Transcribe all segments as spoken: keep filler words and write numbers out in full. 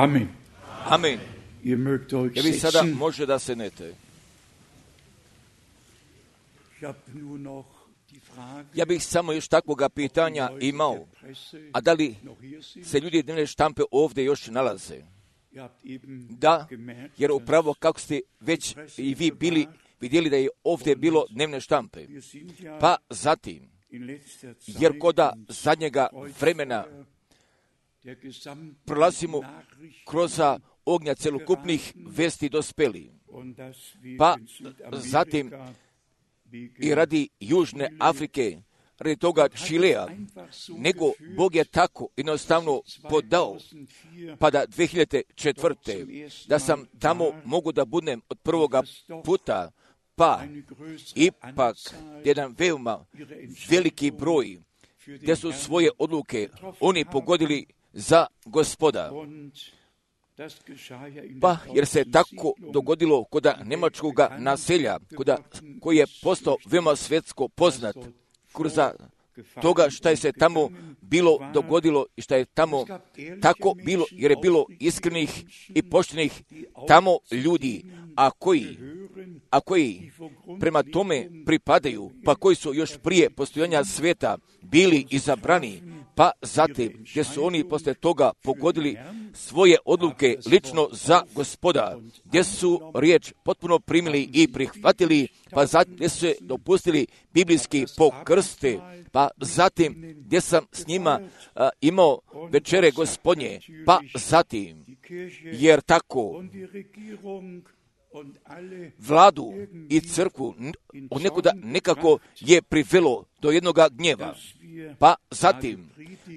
Amen. Amen. Ihr mögt euch Ja vi sada setzen. može da se nete. Ich habe nur noch die Frage, Ja bih samo još takvoga pitanja Leute imao. der Presse A da li noch hier sind. se ljudi dnevne štampe ovdje još nalaze? Ihr habt eben Da, gemerkt, jer upravo kako ste već i vi bili vidjeli da je ovdje bilo dnevne štampe. wir sind ja Pa zatim, in letzter Zeit jer koda und zadnjega heute vremena der gesamten prolazimo Nachrichten kroz ognja celokupnih vesti dospeli. und dass wir Pa in Südamerika zatim wegen i radi Južne Afrike, radi toga Čilea, nego Bog je tako jednostavno podao, pa da dvije hiljade četvrte da sam tamo mogu da budem od prvoga puta, pa ipak jedan veoma veliki broj gdje su svoje odluke oni pogodili za Gospoda. Pa jer se tako dogodilo kod njemačkog naselja, koda, koji je postao veoma svjetsko poznat kroz toga što je se tamo bilo dogodilo i što je tamo tako bilo, jer je bilo iskrenih i poštenih tamo ljudi, a koji, a koji prema tome pripadaju, pa koji su još prije postojanja svijeta bili izabrani, pa zatim gdje su oni posle toga pogodili svoje odluke lično za Gospoda, gdje su riječ potpuno primili i prihvatili, pa zatim gdje su se dopustili biblijski pokrste, pa zatim gdje sam s njima a, imao večere Gospodnje, pa zatim, jer tako vladu i crkvu od nekuda nekako je privelo do jednoga gnjeva, pa zatim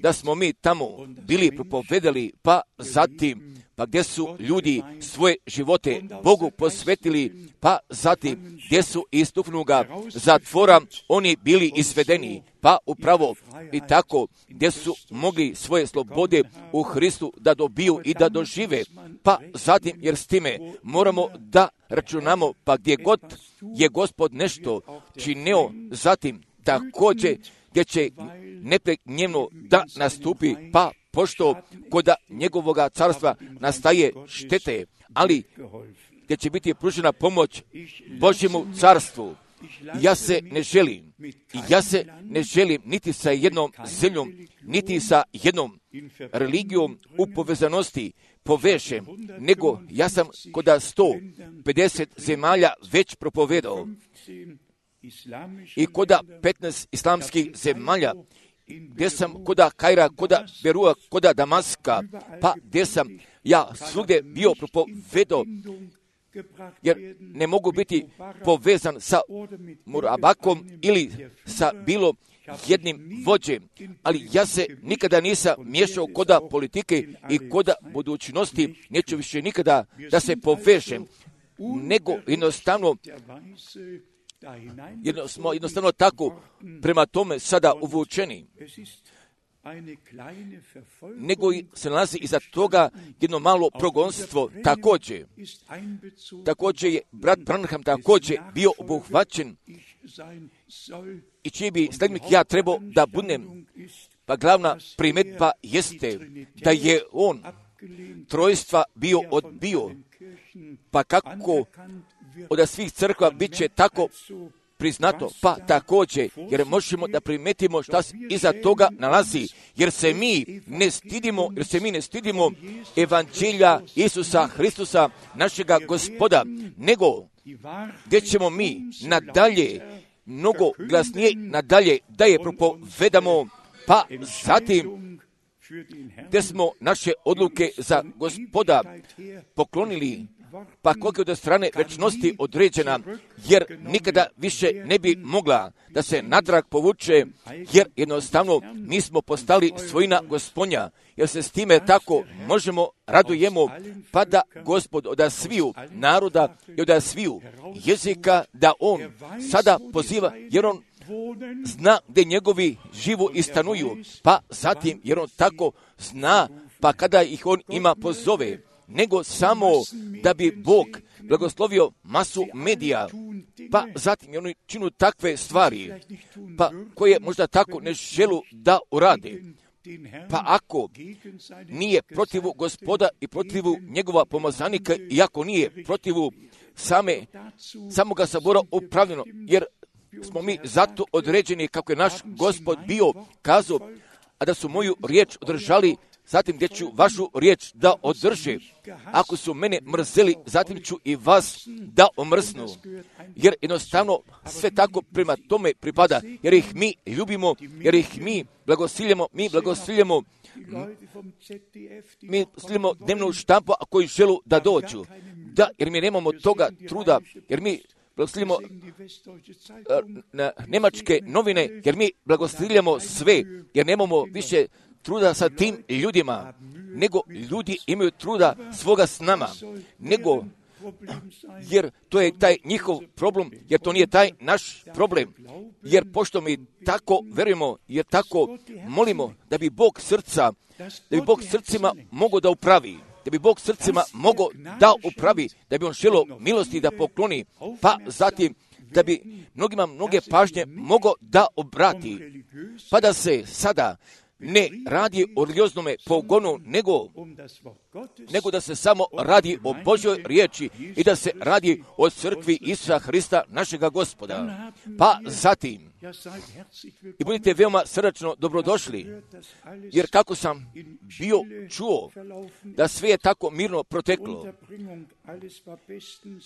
da smo mi tamo bili propovedali, pa zatim pa gdje su ljudi svoje živote Bogu posvetili, pa zatim gdje su iz tufnuga zatvora oni bili izvedeni, pa upravo i tako gdje su mogli svoje slobode u Hristu da dobiju i da dožive, pa zatim jer s time moramo da računamo, pa gdje god je Gospod nešto činio, zatim također gdje će nepreknjeno da nastupi, pa pošto kod njegovoga carstva nastaje štete, ali gdje će biti pružena pomoć Božjemu carstvu. Ja se ne želim, ja se ne želim niti sa jednom zemljom, niti sa jednom religijom u povezanosti povežem, nego ja sam kod sto pedeset zemalja već propovedao i kod petnaest islamskih zemalja, gdje sam koda Kaira, koda Berua, koda Damaska, pa gdje sam ja svugdje bio propovedao, jer ne mogu biti povezan sa Murabakom ili sa bilo jednim vođem, ali ja se nikada nisam miješao koda politike i koda budućnosti, neću više nikada da se povežem, nego jednostavno Jedno, smo jednostavno tako prema tome sada uvučeni, nego se nalazi iza toga jedno malo progonstvo također. Također je brat Branham također bio obuhvaćen i čiji bi sledbenik ja trebao da budem, pa glavna primjedba jeste da je on trojstva bio odbio, pa kako od svih crkva bit će tako priznato, pa također, jer možemo da primetimo šta se iza toga nalazi, jer se mi ne stidimo, jer se mi ne stidimo evanđelja Isusa Hristusa, našega Gospoda, nego gdje ćemo mi nadalje, mnogo glasnije nadalje da je propovedamo, pa zatim gdje smo naše odluke za Gospoda poklonili, pa koliko je od strane večnosti određena, jer nikada više ne bi mogla da se natrag povuče, jer jednostavno mi smo postali svojina Gospodnja, jer se s time tako možemo radujemo, pa da Gospod od sviju naroda i od sviju jezika, da on sada poziva, jer on zna gdje njegovi živu i stanuju, pa zatim jer on tako zna, pa kada ih on ima pozove, nego samo da bi Bog blagoslovio masu medija, pa zatim oni činu takve stvari, pa koje možda tako ne želu da urade, Pa ako nije protivu Gospoda i protivu njegova pomazanika, i ako nije protivu same, samoga sabora upravljeno, jer smo mi zato određeni, kako je naš Gospod bio kazao, a da su moju riječ održali, zatim gdje ću vašu riječ da održe. Ako su mene mrzeli, zatim ću i vas da omrznu. Jer jednostavno sve tako prema tome pripada, jer ih mi ljubimo, jer ih mi blagosiljamo, mi blagosiljamo, mi sliljamo dnevnu štampu, a koji želu da dođu. Da, jer mi nemamo toga truda, jer mi blagosiljamo na njemačke novine, jer mi blagosiljamo sve, jer nemamo više truda sa tim ljudima, nego ljudi imaju truda svoga s nama, nego, jer to je taj njihov problem, jer to nije taj naš problem, jer pošto mi tako verujemo, jer tako molimo da bi Bog srca, da bi Bog srcima mogao da upravi, da bi Bog srcima mogao da upravi, da bi on želio milosti da pokloni, pa zatim da bi mnogima mnoge pažnje mogao da obrati, pa da se sada ne radi o religioznome pogonu, nego, nego da se samo radi o Božjoj riječi i da se radi o crkvi Isusa Hrista, našega Gospoda. Pa zatim, i budite veoma srdačno dobrodošli, jer kako sam bio čuo da sve je tako mirno proteklo,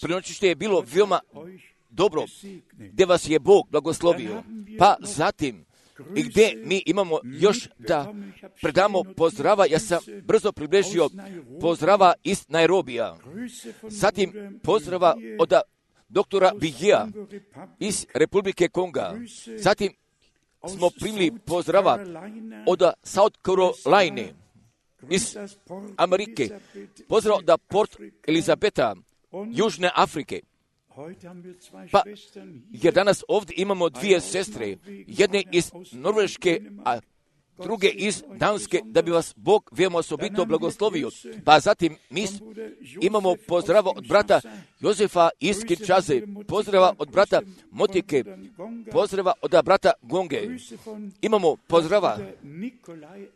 prenoćište je bilo veoma dobro, gdje vas je Bog blagoslovio, pa zatim, i gdje mi imamo još da predamo pozdrava, ja sam brzo približio pozdrava iz Nairobija, zatim pozdrava od doktora Bigija iz Republike Konga, zatim smo primili pozdrava od South Carolina iz Amerike, pozdrav od Port Elizabeta, Južne Afrike. Pa, jer danas ovdje imamo dvije sestre, jedne iz Norveške, a druge iz Danske, da bi vas Bog veoma osobito blagoslovio. Pa zatim mi imamo pozdrava od brata Jozefa iz Kinčaze, pozdrava od brata Motike, pozdrava od brata Gonge. Imamo pozdrava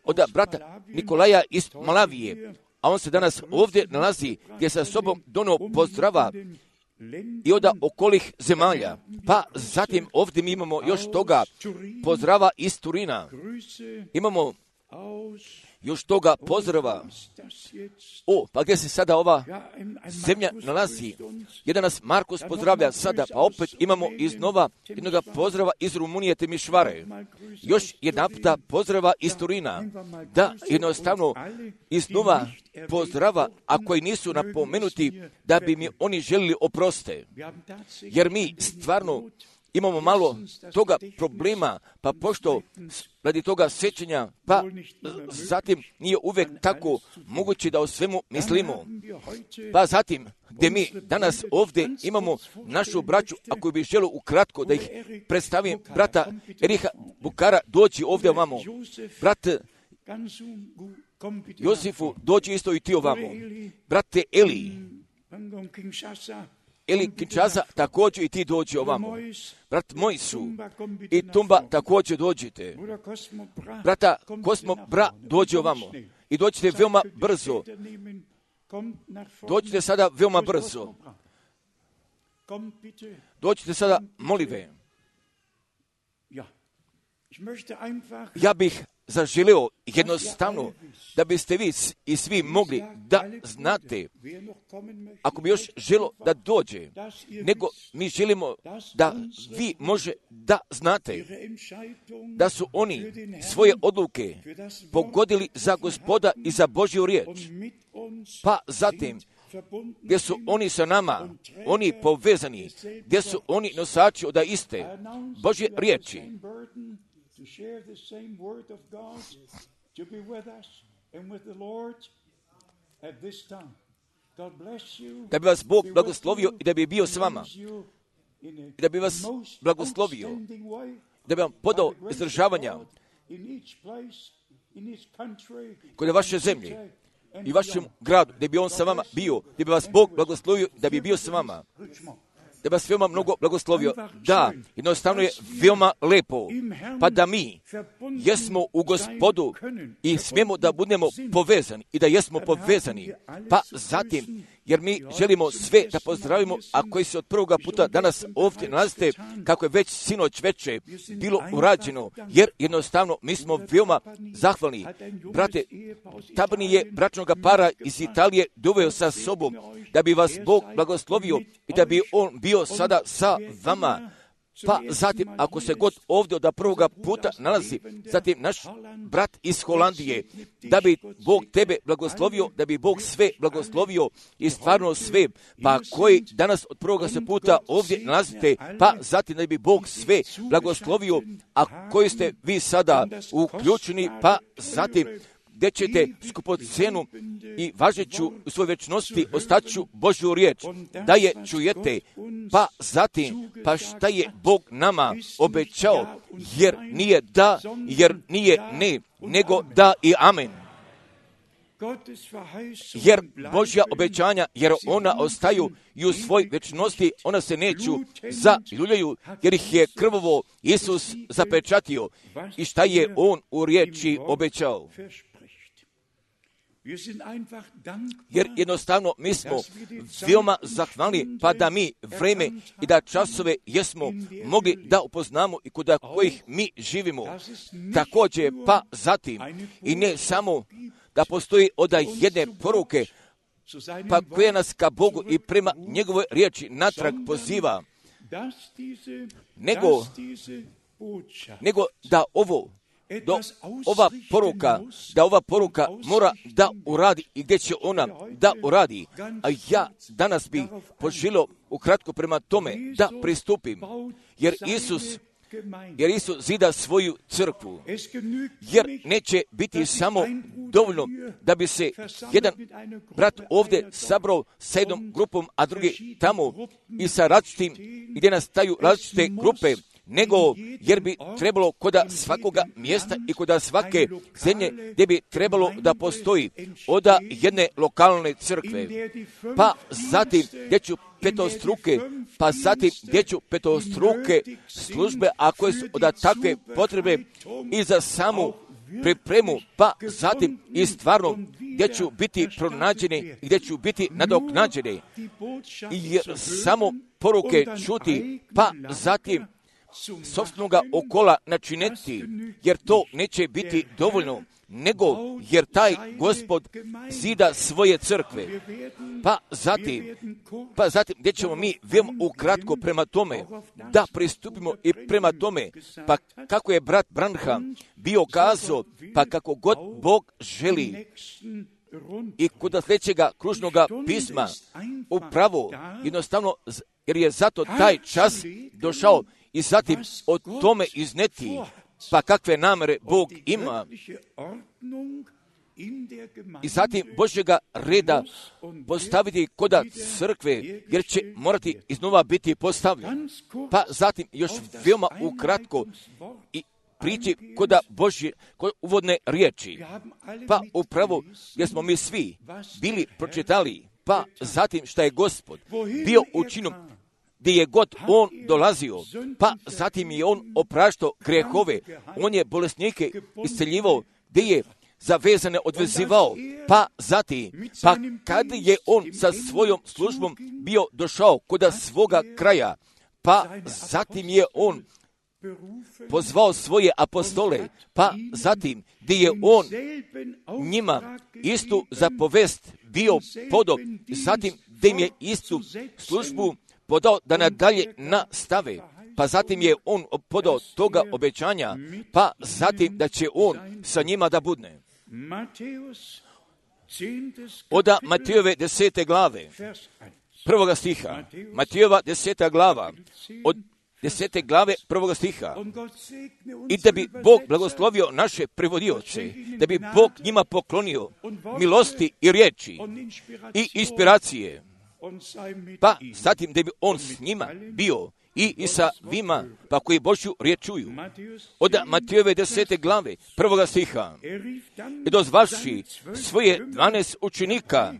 od brata Nikolaja iz Malavije, a on se danas ovdje nalazi, gdje sa sobom donio pozdrava i od okolih zemalja. Pa zatim ovdje mi imamo još toga pozdrava iz Turina. Imamo još toga pozdrava. O, pa gdje se sada ova zemlja nalazi? Jedan nas Markus pozdravlja sada, pa opet imamo iznova jednog pozdrava iz Rumunije Temišvare. Još jedan puta pozdrava iz Turina. Da, jednostavno iznova pozdrava, a koji nisu napomenuti, da bi mi oni želili oproste. Jer mi stvarno imamo malo toga problema, pa pošto radi toga sjećanja, pa zatim nije uvijek tako moguće da o svemu mislimo. Pa zatim, gdje mi danas ovdje imamo našu braću, ako bi želio ukratko da ih predstavim, brata Eriha Bukara, dođi ovdje ovamo. Brat Josifu, dođi isto i ti ovamo. Brate Eli, Eli Kinčasa, također i ti dođi ovamo. Brat Mojsu i Tumba, također dođite. Brata Kosmo Bra, dođi ovamo. I dođite veoma brzo. Dođite sada veoma brzo. Dođite sada, molive. Ja bih zaželio jednostavno da biste vi i svi mogli da znate, ako bi još želo da dođe, nego mi želimo da vi može da znate da su oni svoje odluke pogodili za Gospoda i za Božju riječ. Pa zatim, gdje su oni sa nama, oni povezani, gdje su oni nosači od iste Božje riječi, to share the same word of God, to be with us and with the Lord at this time. God bless you. Da bi vas Bog blagoslovio i da bi bio s vama. I da bi vas blagoslovio. Da bi vam podao izdržavanja kod vaše zemlje i vašem gradu, da bi on sa vama bio, da bi vas Bog blagoslovio, da bi bio s vama. da vas veoma mnogo blagoslovio. Da, jednostavno je veoma lepo, pa da mi jesmo u Gospodu i smijemo da budemo povezani i da jesmo povezani. Pa zatim, jer mi želimo sve da pozdravimo, a koji se od prvoga puta danas ovdje nalazite, kako je već sinoć veče bilo urađeno, jer jednostavno mi smo veoma zahvalni. Brate, Tabni je bračnoga para iz Italije doveo sa sobom, da bi vas Bog blagoslovio i da bi on bio sada sa vama. Pa zatim, ako se god ovdje od prvoga puta nalazi, zatim naš brat iz Holandije, da bi Bog tebe blagoslovio, da bi Bog sve blagoslovio i stvarno sve, pa koji danas od prvoga se puta ovdje nalazite, pa zatim da bi Bog sve blagoslovio, a koji ste vi sada uključeni, pa zatim gdje ćete skupocenu i važeću u svojoj večnosti ostaću Božju riječ, da je čujete, pa zatim, pa šta je Bog nama obećao, jer nije da, jer nije ne, nego da i amen. Jer Božja obećanja, jer ona ostaju i u svoj večnosti, ona se neću zaljuljaju, jer ih je krvovo Isus zapečatio i šta je on u riječi obećao. Jer jednostavno mi smo veoma zahvalni, pa da mi vreme i da časove jesmo mogli da upoznamo i kod kojih mi živimo. Također, pa zatim, i ne samo da postoji od jedne poruke, pa koja nas ka Bogu i prema njegovoj riječi natrag poziva, nego, nego da ovo Do ova poruka, da ova poruka mora da uradi i gdje će ona da uradi. A ja danas bih poželio ukratko prema tome da pristupim, jer Isus, jer Isus zida svoju crkvu, jer neće biti samo dovoljno da bi se jedan brat ovdje sabrao sa jednom grupom, a drugi tamo i sa različitim, gdje nastaju različite grupe, nego jer bi trebalo koda svakoga mjesta i koda svake zemlje gdje bi trebalo da postoji oda jedne lokalne crkve, pa zatim gdje ću petostruke, pa zatim gdje ću petostruke službe, a koje su od takve potrebe i za samu pripremu, pa zatim i stvarno gdje ću biti pronađeni i gdje ću biti nadoknađeni i samo poruke čuti, pa zatim sopstvenoga okola načiniti, jer to neće biti dovoljno, nego jer taj Gospod zida svoje crkve. Pa zatim, pa zatim gdje ćemo mi veoma ukratko prema tome da pristupimo i prema tome, pa kako je brat Branham bio kazao, pa kako god Bog želi. I kod sljedećega kružnoga pisma, upravo, jednostavno, jer je zato taj čas došao, i zatim o tome izneti, pa kakve namere Bog ima. I zatim Božjega reda postaviti koda crkve, jer će morati iznova biti postavljen. Pa zatim još veoma ukratko i prići koda Božje kod uvodne riječi. Pa upravo jer smo mi svi bili pročitali, pa zatim šta je Gospod bio učinom gdje je god on dolazio, pa zatim je on opraštao grehove, on je bolesnike isceljivao, gdje je zavezane odvezivao, pa zatim, pa kad je on sa svojom službom bio došao kod svoga kraja, pa zatim je on pozvao svoje apostole, pa zatim gdje je on njima istu zapovest bio podao, zatim gdje im je istu službu podao da nadalje nastave, pa zatim je on podao toga obećanja, pa zatim da će on sa njima da budne. Oda Matejove desete glave, prvoga stiha, Matejova deseta glava, od desete glave prvoga stiha, i da bi Bog blagoslovio naše prevodioce, da bi Bog njima poklonio milosti i riječi i inspiracije, pa zatim da bi on s njima bio i, i sa vima, pa koji Božju riječ čuju. Od Matejove desete glave, prvoga stiha, i dozvaši svoje dvanaest učenika,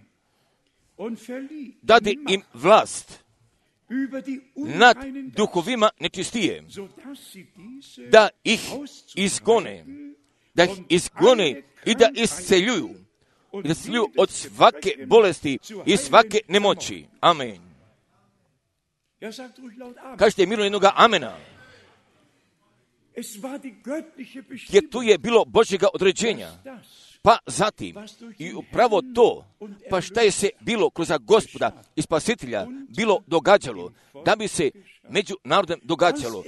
dade im vlast nad duhovima nečistije, da ih izgone, da ih izgone i da isceljuju, i da isceljuju od svake bolesti i svake nemoći. Amen. Kažete mirno jednoga amena. Jer tu je bilo Božjega određenja. Pa zatim, i upravo to, pa šta je se bilo kroz Gospoda i Spasitelja bilo događalo, da bi se među narodom događalo,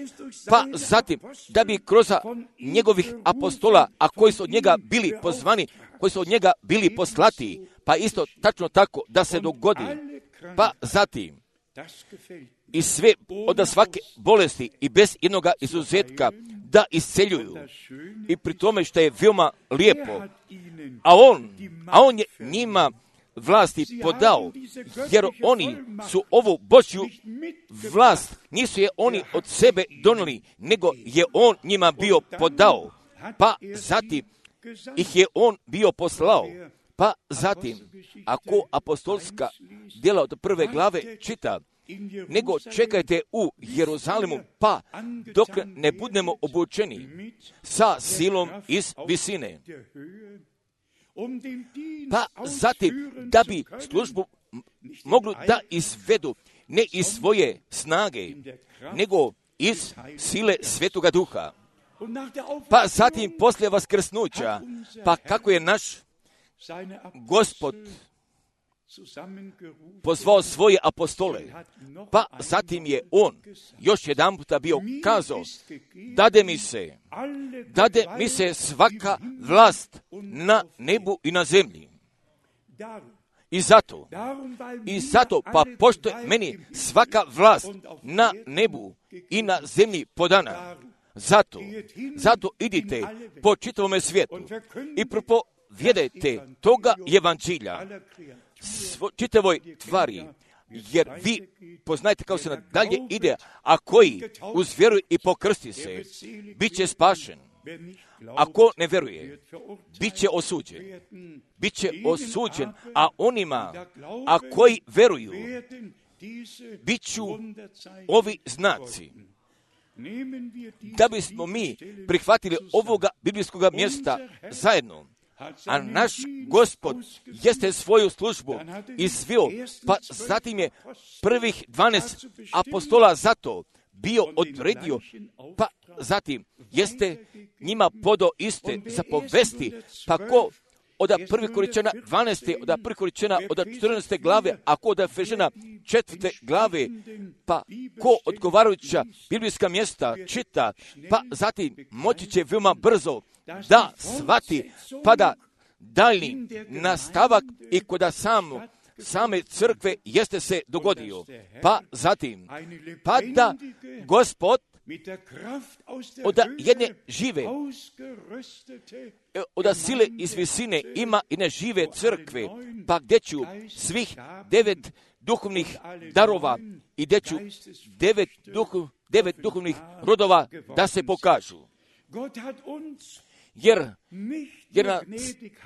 pa zatim, da bi kroz njegovih apostola, a koji su od njega bili pozvani, koji su od njega bili poslati, pa isto tačno tako da se dogodi, pa zatim, i sve od svake bolesti i bez jednoga izuzetka da isceljuju. I pri tome što je veoma lijepo, a on, a on je njima vlasti podao, jer oni su ovu Božju vlast, nisu je oni od sebe donijeli, nego je on njima bio podao, pa zatim ih je on bio poslao. Pa zatim, ako apostolska djela od prve glave čita, nego čekajte u Jeruzalemu, pa dok ne budemo obučeni sa silom iz visine. Pa zatim, da bi službu mogli da izvedu ne iz svoje snage, nego iz sile Svetoga Duha. Pa zatim, poslije vaskrsnuća, pa kako je naš Gospod pozvao svoje apostole, pa zatim je on još jedan puta bio kazao, dade mi se, dade mi se svaka vlast na nebu i na zemlji. I zato, i zato, pa pošto je meni svaka vlast na nebu i na zemlji podana, zato, zato idite po čitavome svijetu i propovjedajte toga evanđelja svo, čitavoj tvari, jer vi poznajete kao se nadalje ide, a koji uz vjeru i pokrsti se, bit će spašen. Ako ne vjeruje, bit će osuđen. Bit će osuđen, a onima, a koji vjeruju, bit ću ovi znaci. Da bismo mi prihvatili ovoga biblijskog mjesta zajedno, a naš Gospod jeste svoju službu izvio, pa zatim je prvih dvanaest apostola zato bio odredio, pa zatim jeste njima podo iste zapovesti, pa ko od prvih Korinćana dvanaeste, od prvih Korinćana od četrnaeste glave, a ko od Efežana četvrte glave, pa ko odgovarajuća biblijska mjesta čita, pa zatim moći će veoma brzo da shvati, pa da daljni nastavak i kod samo, same crkve jeste se dogodio. Pa zatim, pa da Gospod od jedne žive, od sile iz visine ima i ne žive crkve, pa gdje ću svih devet duhovnih darova i gdje ću devet, duhu, devet duhovnih rodova da se pokažu. Jer, jer, nas,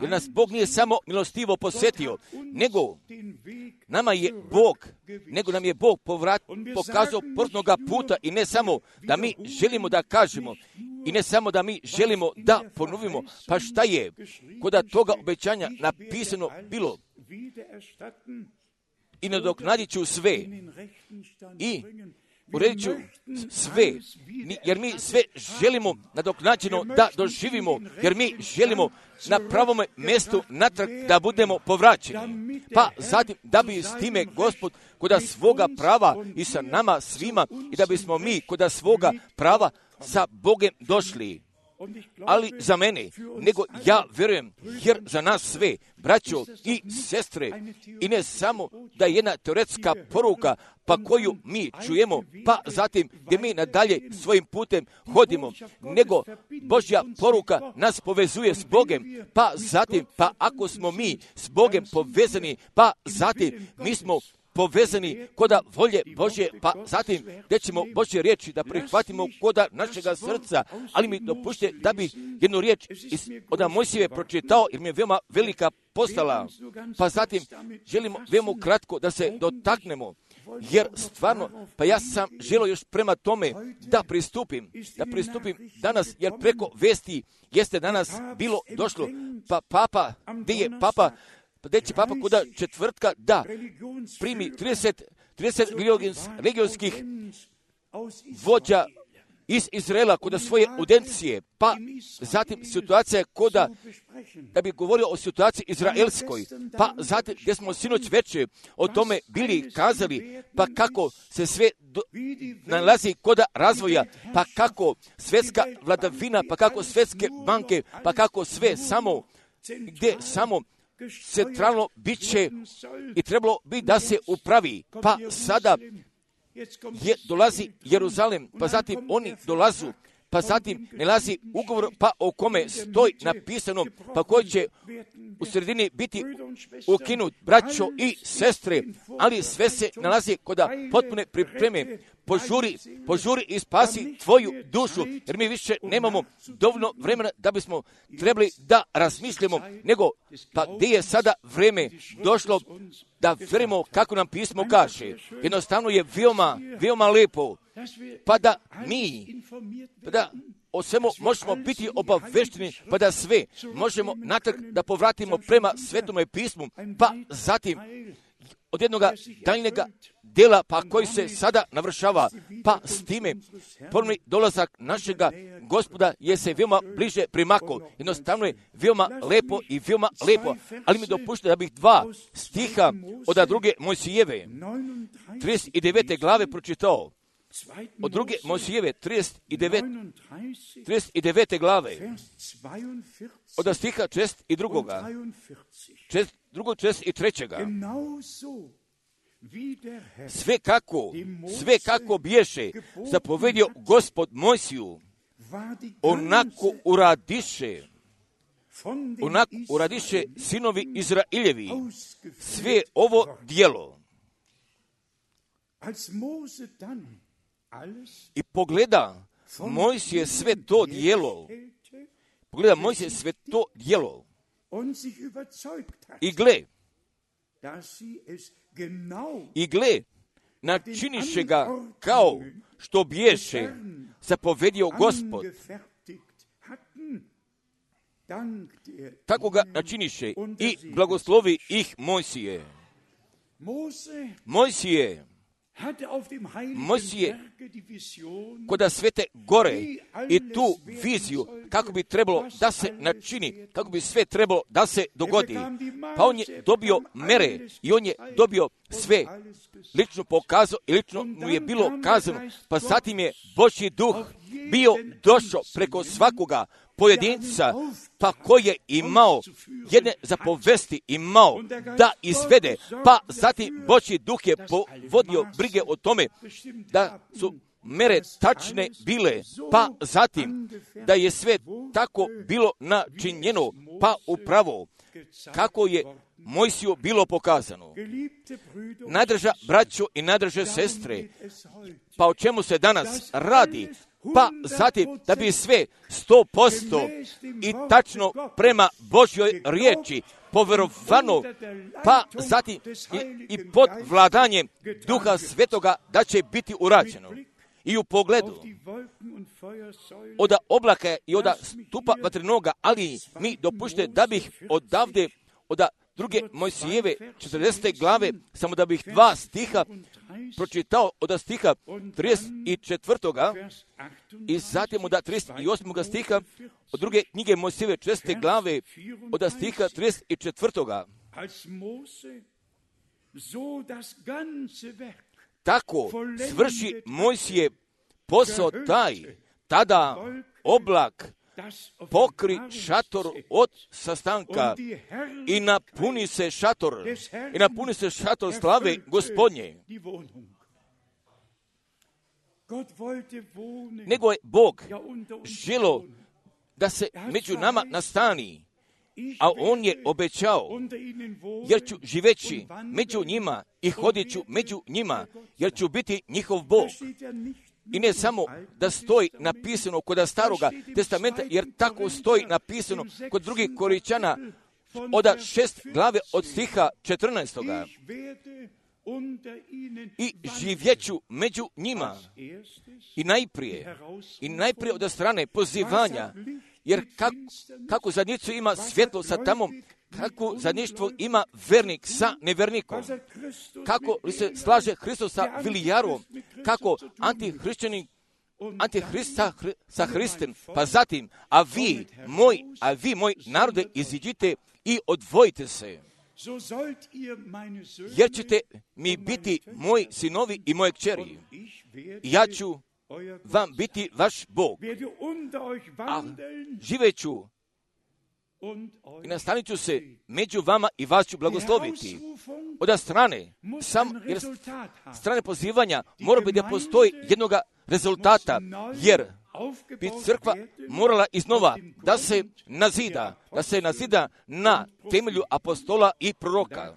jer nas Bog nije samo milostivo posjetio, nego nama je Bog, nego nam je Bog povrat, pokazao portnoga puta i ne samo da mi želimo da kažemo i ne samo da mi želimo da ponovimo, pa šta je kod toga obećanja napisano bilo i nadoknadit ću sve i uredit ću sve, jer mi sve želimo nadoknađeno da doživimo, jer mi želimo na pravom mjestu natrag da budemo povraćeni. Pa zatim da bi s time Gospod kod svoga prava i sa nama svima i da bismo mi kod svoga prava sa Bogem došli. Ali za mene, nego ja vjerujem, jer za nas sve, braćo i sestre, i ne samo da je jedna teoretska poruka, pa koju mi čujemo, pa zatim gdje mi nadalje svojim putem hodimo, nego Božja poruka nas povezuje s Bogem, pa zatim, pa ako smo mi s Bogem povezani, pa zatim mi smo povezani koda volje Božje, pa zatim gdje ćemo Božje riječi da prihvatimo koda našega srca, ali mi dopušte da bi jednu riječ iz, od Mojsijeve pročitao, jer mi je veoma velika postala, pa zatim želimo veoma kratko da se dotaknemo, jer stvarno, pa ja sam želio još prema tome da pristupim, da pristupim danas, jer preko vesti jeste danas bilo došlo, pa papa, gdje je papa, pa gdje će papa kuda četvrtka da primi trideset, trideset religionskih vođa iz Izraela kuda svoje audijencije, pa zatim situacija kuda, da bi govorio o situaciji izraelskoj, pa zatim gdje smo sinoć večer o tome bili kazali, pa kako se sve do, nalazi koda razvoja, pa kako svjetska vladavina, pa kako svjetske banke, pa kako sve samo, gdje samo centralno bit će i trebalo bi da se upravi, pa sada je dolazi Jeruzalem, pa zatim oni dolazu, pa zatim nalazi ugovor, pa o kome stoji napisano, pa koji će u sredini biti ukinut, braćo i sestre, ali sve se nalazi koda potpune pripreme. Požuri, požuri i spasi tvoju dušu, jer mi više nemamo dovoljno vremena da bismo trebali da razmišljamo, nego pa gdje je sada vreme došlo da vjerujemo kako nam pismo kaže. Jednostavno je veoma, veoma lepo, pa da mi, pa da o svemu možemo biti obavešteni, pa da sve možemo natrag da povratimo prema Svetome pismu, pa zatim od jednog daljnjega dela, pa koji se sada navršava, pa s time ponovni dolazak našega Gospoda je se veoma bliže primako. Jednostavno je veoma lepo i veoma lepo, ali mi dopušte da bih dva stiha od druge Mojsijeve, trideset devete glave pročitao. Od druge Mojsijeve, trideset devete glave, od stiha četrdeset drugoga, drugog četrdeset trećega. Sve kako, sve kako biješe zapovedio Gospod Mojsiju, onako uradiše, onako uradiše sinovi Izraeljevi sve ovo djelo. I pogleda Mojsije sve to djelo, pogleda Mojsije sve to djelo i gle, i gle, načiniše ga kao što biješe zapovedio Gospod. Tako ga načiniše i blagoslovi ih Mojsije. Mojsije, Mojsije koda Svete gore i tu viziju kako bi trebalo da se načini, kako bi sve trebalo da se dogodi. Pa on je dobio mere i on je dobio sve lično pokazao i lično mu je bilo kazano, pa zatim je Božji duh bio došao preko svakoga pojedinca, pa koji je imao jedne zapovesti, imao da izvede, pa zatim Božji duh je povodio brige o tome da su mere tačne bile, pa zatim da je sve tako bilo načinjeno, pa upravo kako je Mojsiju bilo pokazano. Najdrža braćo i najdrže sestre, pa o čemu se danas radi? Pa zatim da bi sve sto posto i tačno prema Božjoj riječi povjerovano, pa zatim i, i pod vladanjem Duha Svetoga da će biti urađeno. I u pogledu od oblaka i od stupa vatrenoga, ali mi dopušte da bih odavde od druge Mojsijeve četrdesete glave, samo da bih dva stiha pročitao od stiha trideset četvrtoga i zatim od trideset osmoga stiha od druge knjige Mojsijeve četrdesete glave od stiha trideset četvrtoga. Tako svrši Mojsije posao taj, tada oblak pokri šator od sastanka i napuni se šator, i napuni se šator slave Gospodnje. Nego je Bog želo da se među nama nastani, a on je obećao, jer ću živeći među njima i hodit ću među njima, jer ću biti njihov Bog. I ne samo da stoji napisano kod staroga testamenta, jer tako stoji napisano kod drugih Korinćana od šest glave od stiha četrnaestoga. i živjeću među njima. I najprije, i najprije od strane pozivanja, jer kako, kako zajednicu ima svjetlo sa tamom, kako zajedništvo ima vernik sa nevernikom, kako li se slaže Hristos sa Vilijarom, kako antihrišćanin Antihrist sa, sa Hristem, pa zatim, a vi, moj, a vi, moj narode, iziđite i odvojite se, jer ćete mi biti moji sinovi i moje kćeri. Ja ću vam biti vaš Bog, a živeću i nastanit ću se među vama i vas ću blagosloviti. Od strane, sam, jer strane pozivanja mora biti da postoji jednoga rezultata, jer bi crkva morala iznova da se nazida, da se nazida na temelju apostola i proroka.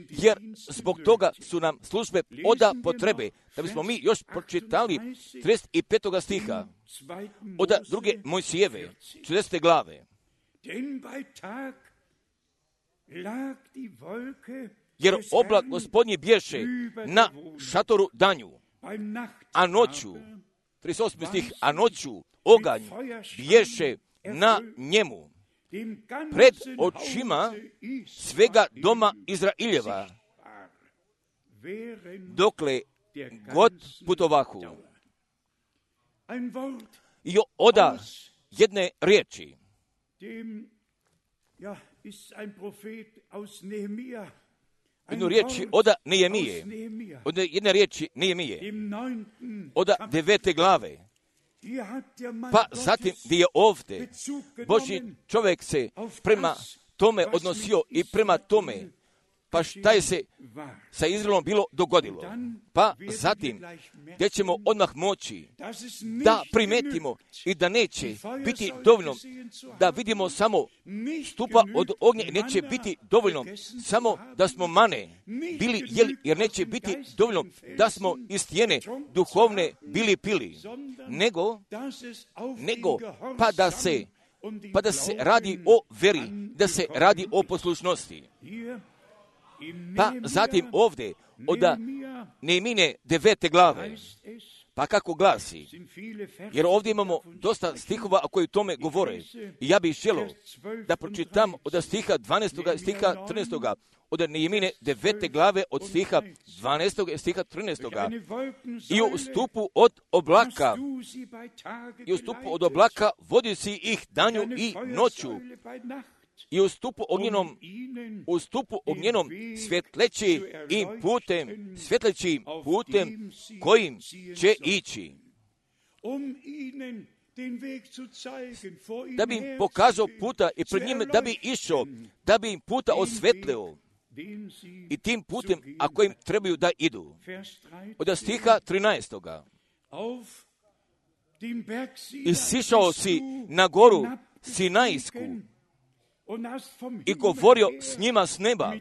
Jer zbog toga su nam službe oda potrebe, da bismo mi još pročitali trideset petog stiha od druge Mojsijeve, čudesne glave. Jer oblak Gospodnji bješe na šatoru danju, a noću, trideset osmi stih, a noću oganj bješe na njemu, pred očima svega doma Izraeljeva, dokle god putovahu. I oda jedne riječi. Jednu riječi oda Nehemije, od jedne riječi Nehemije, oda devete glave. Pa zatim gdje je ovdje Božji čovjek se prema tome odnosio i prema tome, pa šta je se sa Izraelom bilo dogodilo. Pa zatim gdje ćemo odmah moći da primetimo i da neće biti dovoljno da vidimo samo stupa od ognja i neće biti dovoljno samo da smo mane bili jeli, jer neće biti dovoljno da smo iz stijene duhovne bili pili, nego, nego pa da se pa da se radi o veri, da se radi o poslušnosti. Pa zatim ovdje od Nehemine devete glave, pa kako glasi, jer ovdje imamo dosta stihova koji tome govore. I ja bih želio da pročitam od stiha dvanaestog stiha trinaestog od Nehemine devete glave od stiha dvanaestog stiha trinaestog. I u stupu od oblaka, i u stupu od oblaka vodi si ih danju i noću, i u stupu ognjenom, u stupu ognjenom svjetleći im putem, svjetleći im putem kojim će ići. Da bi im pokazao puta i pred njime da bi išao, da bi im puta osvetlio i tim putem, a kojim trebaju da idu. Od stiha trinaestog. I sišao si na goru Sinajsku i govorio s njima s neba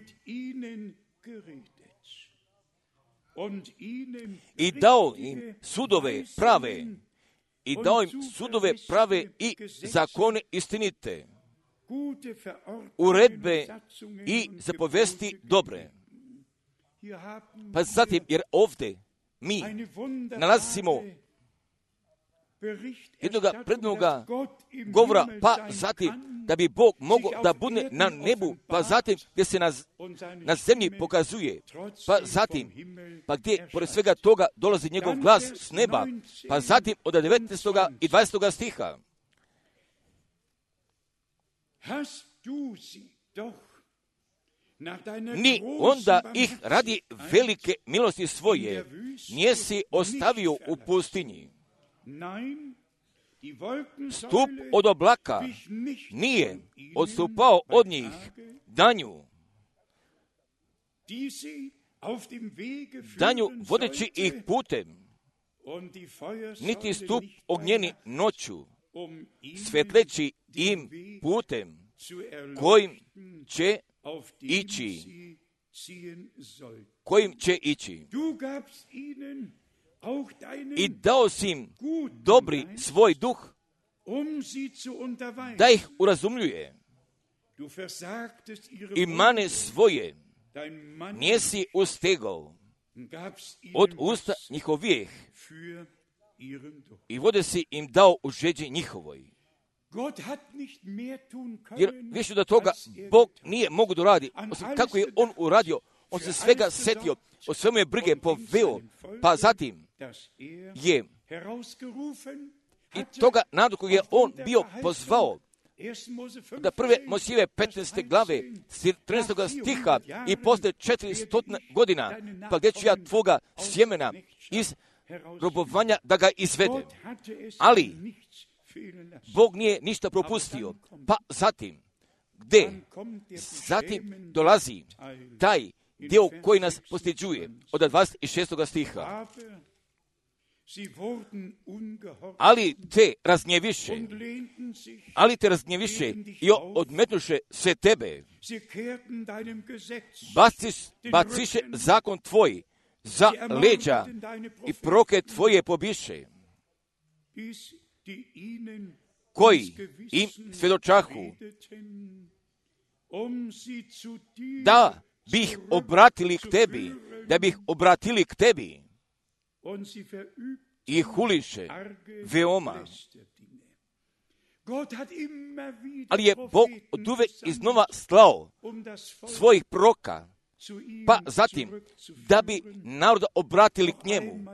i dao im sudove prave i dao im sudove prave i zakone istinite, uredbe i zapovesti dobre. Pa zatim, jer ovdje mi nalazimo jednoga prednoga govora, pa zatim da bi Bog mogao da bude na nebu, pa zatim gdje se na, na zemlji pokazuje, pa zatim, pa gdje pored svega toga dolazi njegov glas s neba, pa zatim od devetnaestog i dvadesetog stiha. Ni onda ih radi velike milosti svoje njesi ostavio u pustinji. Stup od oblaka nije odstupao od njih danju, danju vodeći ih putem, niti stup ognjeni noću, svetleći im putem kojim će ići, kojim će ići. I dao si im dobri svoj duh, da ih urazumljuje, i mane svoje nijesi ustegao od usta njihovijeh i vode si im dao u žeđi njihovoj. Jer više do toga Bog nije mogu da radi, osim kako je on uradio, on se svega setio, o svemu je brige poveo, pa zatim je i toga narodu koji je on bio pozvao, da prve Mojsijeve petnaeste glave, trinaestog stiha, i posle četiristo godina, pa gdje ću ja tvoga sjemena iz robovanja da ga izvede. Ali Bog nije ništa propustio. Pa zatim, gdje? Zatim dolazi taj dio koji nas postiđuje od dvadeset šestog stiha. Ali te raznjeviše, ali te raznjeviše i odmetnuše se tebe. Baciš, baciše zakon tvoj za leđa i proke tvoje pobiše, koji im svjedočahu, da bih obratili k tebi, da bih obratili k tebi, i huliše veoma. Ali je Bog oduvek iznova slao svojih proka, pa zatim da bi naroda obratili k njemu,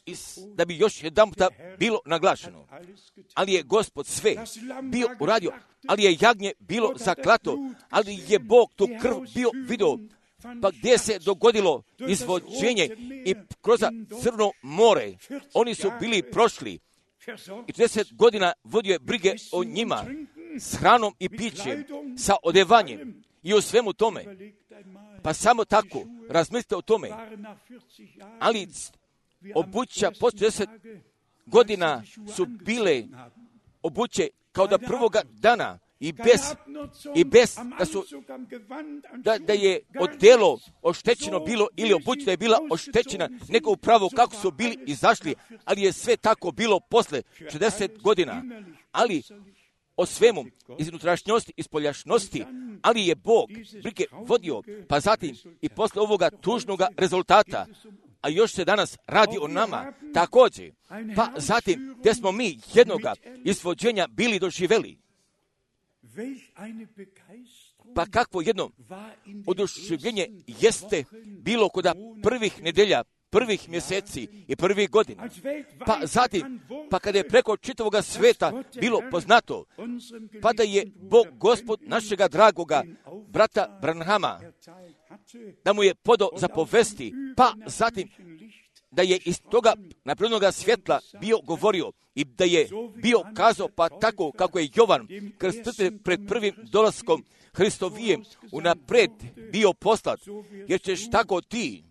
i da bi još jedan puta bilo naglašeno. Ali je Gospod sve bio uradio, ali je jagnje bilo zaklato, ali je Bog tu krv bio vidio, pa gdje se dogodilo izvođenje i kroz Crno more, oni su bili prošli i trideset godina vodio je brige o njima s hranom i pićem, sa odevanjem i o svemu tome. Pa samo tako razmislite o tome. Ali obuća poslije trideset godina su bile obuće kao da prvoga dana, i bez, i bez da, su, da, da je odelo oštećeno bilo ili obuća da je bila oštećena, nego upravo kako su bili izašli, ali je sve tako bilo posle šezdeset godina. Ali o svemu, iz unutrašnjosti, iz poljašnosti, ali je Bog brige vodio, pa zatim i posle ovoga tužnoga rezultata, a još se danas radi o nama također, pa zatim gdje smo mi jednoga izvođenja bili doživjeli. Pa kakvo jedno oduševljenje jeste bilo kod prvih nedelja, prvih mjeseci i prvih godina. Pa zatim, pa kada je preko čitavoga sveta bilo poznato, pa da je Bog Gospod našega dragoga brata Branhama, da mu je podao zapovesti, pa zatim da je iz toga naprednoga svjetla bio govorio i da je bio kazao, pa tako kako je Jovan krstitelj pred prvim dolaskom Hristovijem unapred bio poslat, jer ćeš tako ti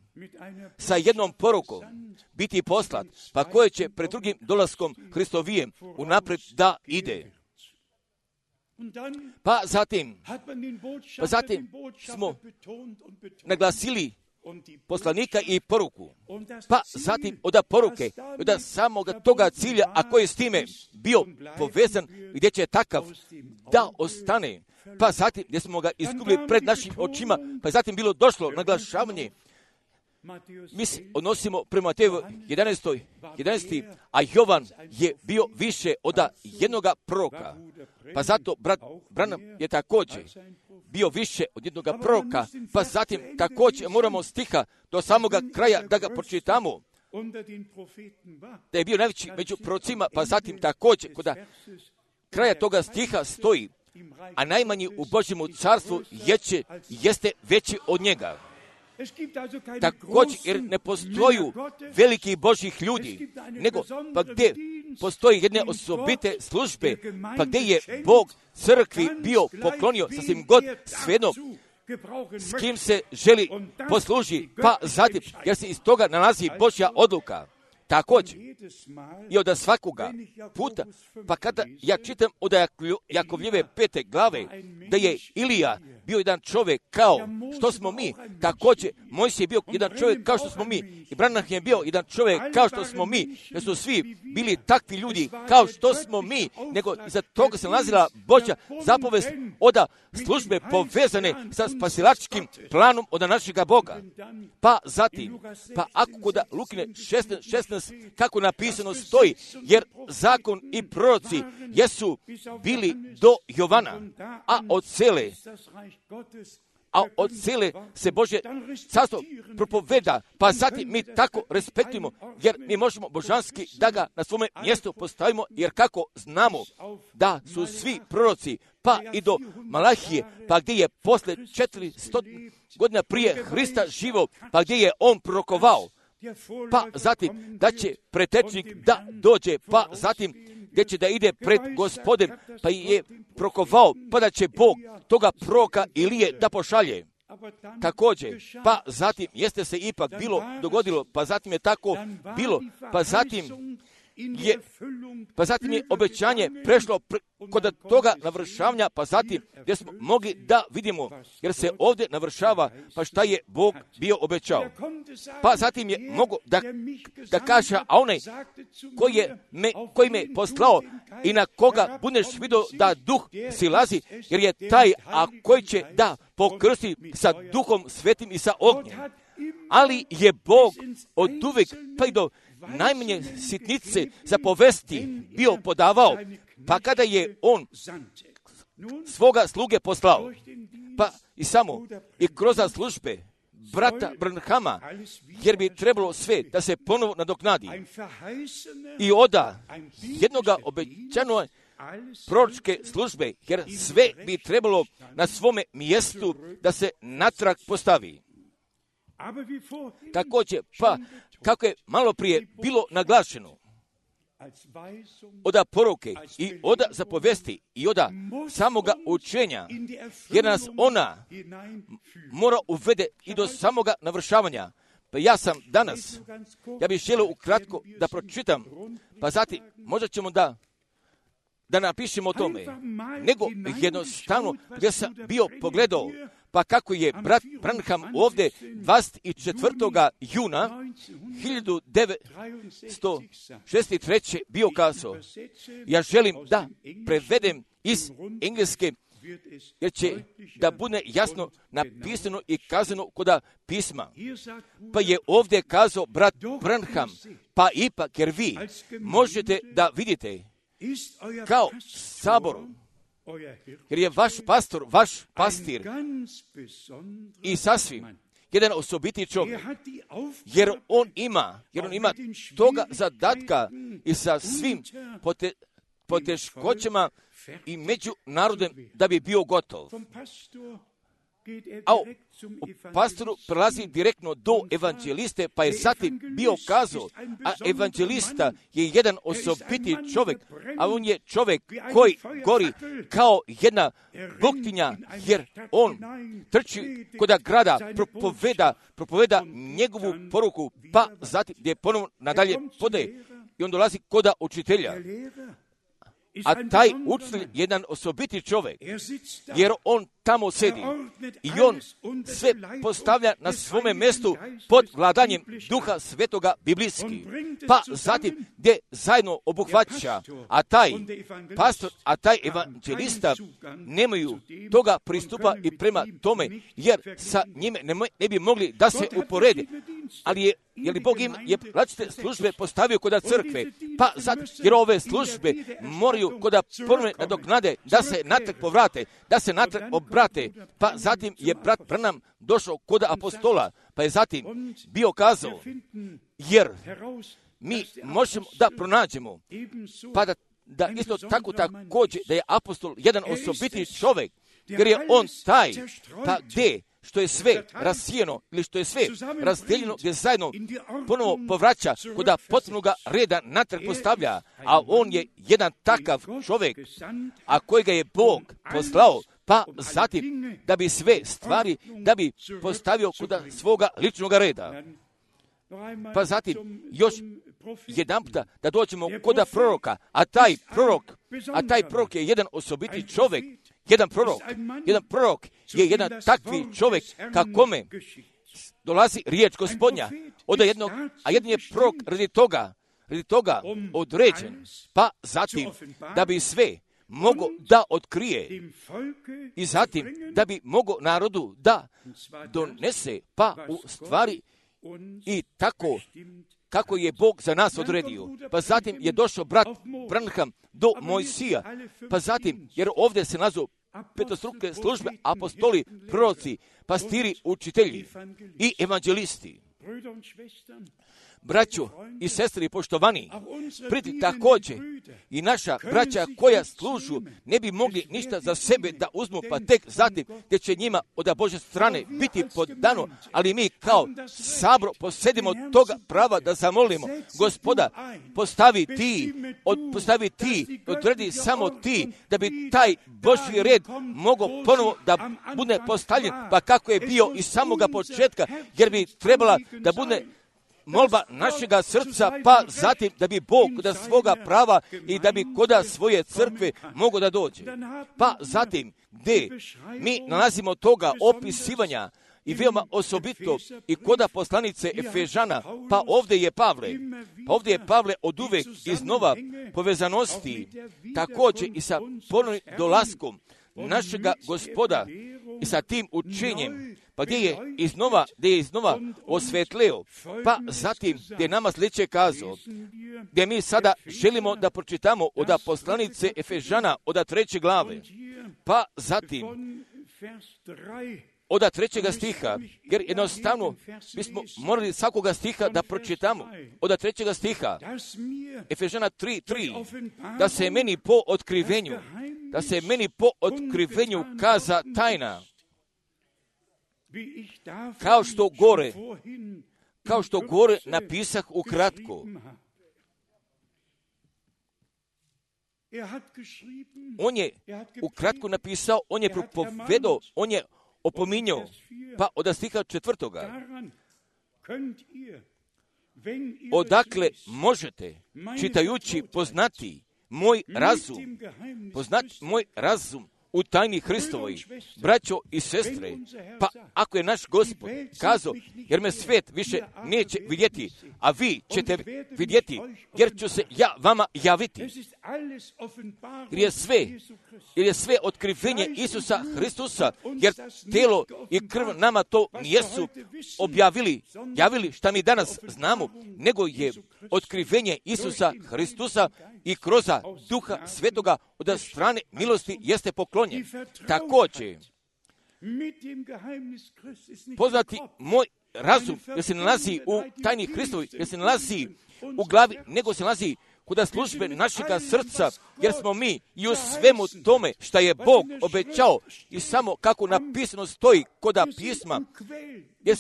sa jednom porukom biti poslat, pa koje će pred drugim dolaskom Hristovijem unapred da ide. Pa zatim, pa zatim smo naglasili poslanika i poruku, pa zatim od poruke, od samoga toga cilja, a koji je s time bio povezan, gdje će takav da ostane, pa zatim gdje smo ga izgubili pred našim očima, pa zatim bilo došlo naglašavanje. Mi se odnosimo prema Mateju jedanaestoj, jedanaesti, a Jovan je bio više od jednoga proroka. Pa zato brat Branham je također bio više od jednoga proroka, pa zatim također moramo stiha do samoga kraja da ga pročitamo, da je bio najveći među prorocima, pa zatim također kod kraja toga stiha stoji, a najmanji u Božjemu carstvu jeće, jeste veći od njega. Također, jer ne postoju veliki Božjih ljudi, nego pa gdje postoji jedne osobite službe, pa gdje je Bog crkvi bio poklonio sasvim god svejedno s kim se želi posluži, pa zatim, jer se iz toga nalazi Božja odluka. Također, i od svakoga puta, pa kada ja čitam od Jakovljeve pete glave, da je Ilija bio jedan čovjek kao što smo mi, također Mojsije je bio jedan čovjek kao što smo mi, i Branham je bio jedan čovjek kao što smo mi, jer su svi bili takvi ljudi kao što smo mi, nego iza toga se nalazila Božja zapovest od službe povezane sa spasilačkim planom od našega Boga. Pa zatim, pa ako kod Lukine šesnaest, šesnaest kako napisano stoji, jer zakon i proroci jesu bili do Jovana, a od cele a od cele se Božje carstvo propoveda, pa zatim mi tako respektujemo, jer mi možemo božanski da ga na svome mjestu postavimo, jer kako znamo da su svi proroci, pa i do Malahije, pa gdje je posle četiristo godina prije Hrista živo, pa gdje je on prorokovao, pa zatim da će pretečnik da dođe, pa zatim gdje će da ide pred Gospodem, pa je prorokovao, pa da će Bog toga proroka Ilije da pošalje. Također, pa zatim jeste se ipak bilo dogodilo, pa zatim je tako bilo, pa zatim je, pa zatim je obećanje prešlo pre, kod toga navršavanja, pa zatim gdje smo mogli da vidimo, jer se ovdje navršava, pa šta je Bog bio obećao. Pa zatim je mogo da, da kaže, a onaj koji, je me, koji me poslao i na koga budeš vidio da duh silazi, jer je taj, a koji će da pokrsti sa duhom svetim i sa ognjem. Ali je Bog od uvijek pa i do najmanje sitnice za povesti bio podavao, pa kada je on svoga sluge poslao, pa i samo i kroz službe brata Branhama, jer bi trebalo sve da se ponovo nadoknadi. I oda jednoga obećano proročke službe, jer sve bi trebalo na svome mjestu da se natrag postavi. Također, pa kako je malo prije bilo naglašeno, oda poruke i oda zapovesti i oda samoga učenja, jer nas ona mora uvede i do samoga navršavanja. Pa ja sam danas, ja bih želio ukratko da pročitam, pa zatim možda ćemo da da napišemo o tome, nego jednostavno gdje sam bio pogledao, pa kako je brat Branham ovdje dvadeset četvrtog juna hiljadu devetsto šezdeset treće bio kazao, ja želim da prevedem iz engleske, jer će da bude jasno napisano i kazano kod pisma. Pa je ovdje kazao brat Branham, pa ipak jer vi možete da vidite kao sabor, jer je vaš pastor, vaš pastir i sasvim jedan osobiti čovjek, jer on ima, jer on ima toga zadatka i sa svim pote, poteškoćama i među narodem da bi bio gotov. A u pastoru prelazi direktno do evanđeliste, pa je zatim bio kazao, a evanđelista je jedan osobiti čovjek, a on je čovjek koji gori kao jedna buktinja, jer on trči kod grada, propoveda, propoveda njegovu poruku, pa zatim gdje ponovno nadalje podaje i on dolazi kod učitelja. A taj učitelj je jedan osobiti čovjek, jer on tamo sedi i on sve postavlja na svome mjestu pod vladanjem Duha Svetoga biblijski. Pa zatim gdje zajedno obuhvaća, a taj pastor, a taj evanđelista nemaju toga pristupa i prema tome, jer sa njime ne, ne bi mogli da se uporede. Ali je, jer li Bog im je različite službe postavio kod crkve, pa zatim, jer ove službe moraju kod ponovne nadoknade da se natrag povrate, da se natrag obrate, pa zatim je brat Branham došao kod apostola, pa je zatim bio kazao, jer mi možemo da pronađemo, pa da, da isto tako također da je apostol jedan osobiti čovjek, jer je on taj, pa gdje što je sve rasijeno ili što je sve razdeljeno, gdje zajedno ponovo povraća kod potpunoga reda natrag postavlja, a on je jedan takav čovjek, a kojega je Bog poslao, pa zatim da bi sve stvari, da bi postavio kod svoga ličnog reda. Pa zatim još jedan puta da dođemo kod proroka, a taj prorok, a taj prorok je jedan osobiti čovjek, jedan prorok. Jedan prorok je jedan takvi čovjek kakome dolazi riječ Gospodnja. Od jednog, a jedan je prorok radi toga, radi toga određen, pa zatim da bi sve mogo da otkrije i zatim da bi mogo narodu da donese, pa u stvari i tako kako je Bog za nas odredio. Pa zatim je došao brat Branham do Mojsija, pa zatim, jer ovdje se nazu petostruke službe, apostoli, proroci, pastiri, učitelji i evanđelisti. Braćo i sestri poštovani, priti također i naša braća koja služu ne bi mogli ništa za sebe da uzmu, pa tek zatim gdje će njima od Božje strane biti podano, ali mi kao sabor posedimo toga prava da zamolimo Gospoda, postavi ti, od, postavi ti, odredi samo ti, da bi taj Božji red mogao ponovo da bude postavljen, pa kako je bio iz samoga početka, jer bi trebala da bude molba našega srca, pa zatim da bi Bog koda svoga prava i da bi koda svoje crkve mogo da dođe. Pa zatim gdje mi nalazimo toga opisivanja i veoma osobito i koda poslanice Efežana, pa ovdje je Pavle, pa ovdje je Pavle od uvek iznova povezanosti, također i sa ponovnim dolaskom našega Gospoda i sa tim učenjem, pa gdje je iznova, gdje je iznova osvetleo, pa zatim gdje je nama sljedeće kazao, gdje mi sada želimo da pročitamo od poslanice Efežana od treće glave, pa zatim od trećega stiha, jer jednostavno bismo morali svakoga stiha da pročitamo. Od trećega stiha, Efežana tri tri, da se meni po otkrivenju, da se meni po otkrivenju kaza tajna, kao što gore, kao što gore napisah ukratko. On je ukratko napisao, on je propovedao, on je opominjao, pa od stiha četvrtoga. Odakle možete, čitajući, poznati moj razum, poznati moj razum u tajni Hristovoj, braćo i sestre, pa ako je naš Gospod kazao, jer me svet više neće vidjeti, a vi ćete vidjeti, jer ću se ja vama javiti. Jer je sve, jer je sve otkrivenje Isusa Hristusa, jer telo i krv nama to nijesu objavili, javili šta mi danas znamo, nego je otkrivenje Isusa Hristusa i kroz Duha Svetoga od strane milosti jeste poklonjen. Također, poznati moj razum, jer se nalazi u tajni Hristovi, jer se nalazi u glavi, nego se nalazi kod službe našega srca, jer smo mi i u svemu tome što je Bog obećao i samo kako napisano stoji kod pisma, jer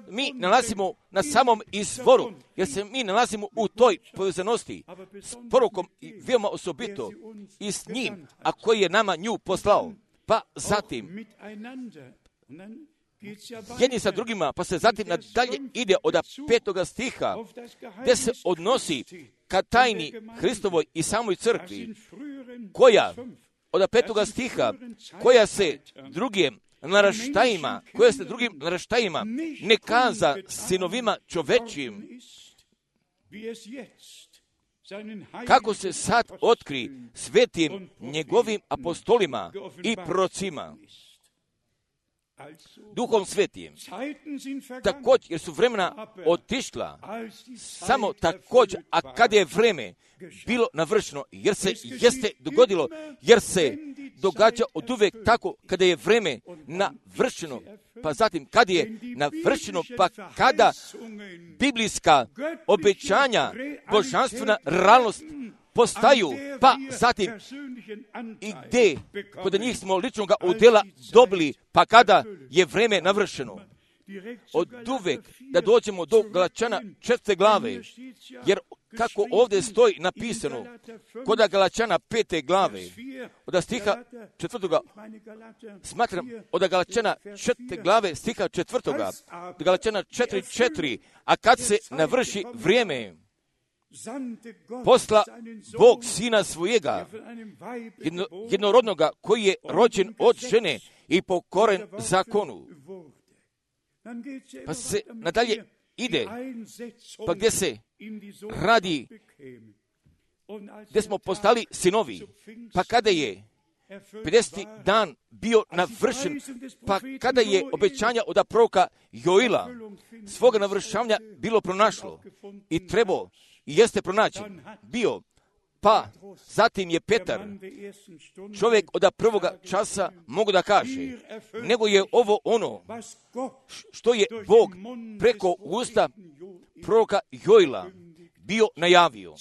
mi nalazimo na samom izvoru, jer se mi nalazimo u toj povezanosti s porukom i veoma osobito i s njim, a koji je nama nju poslao. Pa zatim jedni sa drugima, pa se zatim nadalje ide od petoga stiha, gdje se odnosi ka tajni Hristovoj i samoj crkvi, koja, od petoga stiha, koja se drugim naraštajima, koja se drugim naraštajima ne kaza sinovima čovečijim, kako se sad otkri svetim njegovim apostolima i prorocima, Duhom Svetim. Također, jer su vremena otišla, samo također, a kad je vreme bilo navršeno, jer se jeste dogodilo, jer se događa od uvek tako kada je vreme navršeno, pa zatim kad je navršeno, pa kada biblijska obećanja, božanstvena realnost postaju, pa zatim i gdje kod njih smo ličnog udjela dobili, pa kada je vreme navršeno. Od uvek da dođemo do Galačana četvrte glave, jer kako ovdje stoji napisano, kod Galačana pete glave, od stiha četvrtoga, smatram, od Galačana četvrte glave, stiha četvrtoga, od Galačana četiri četiri, a kad se navrši vrijeme, posla Bog sina svojega jedno, jednorodnoga koji je rođen od žene i pokoren zakonu. Pa se nadalje ide, pa gdje se radi, gdje smo postali sinovi, pa kada je pedeseti dan bio navršen, pa kada je obećanja od proroka Joila svoga navršavanja bilo pronašlo i trebao i jeste pronađen bio, pa zatim je Petar, čovjek od prvoga časa, mogu da kaže, nego je ovo ono što je Bog preko usta proroka Joila bio najavio.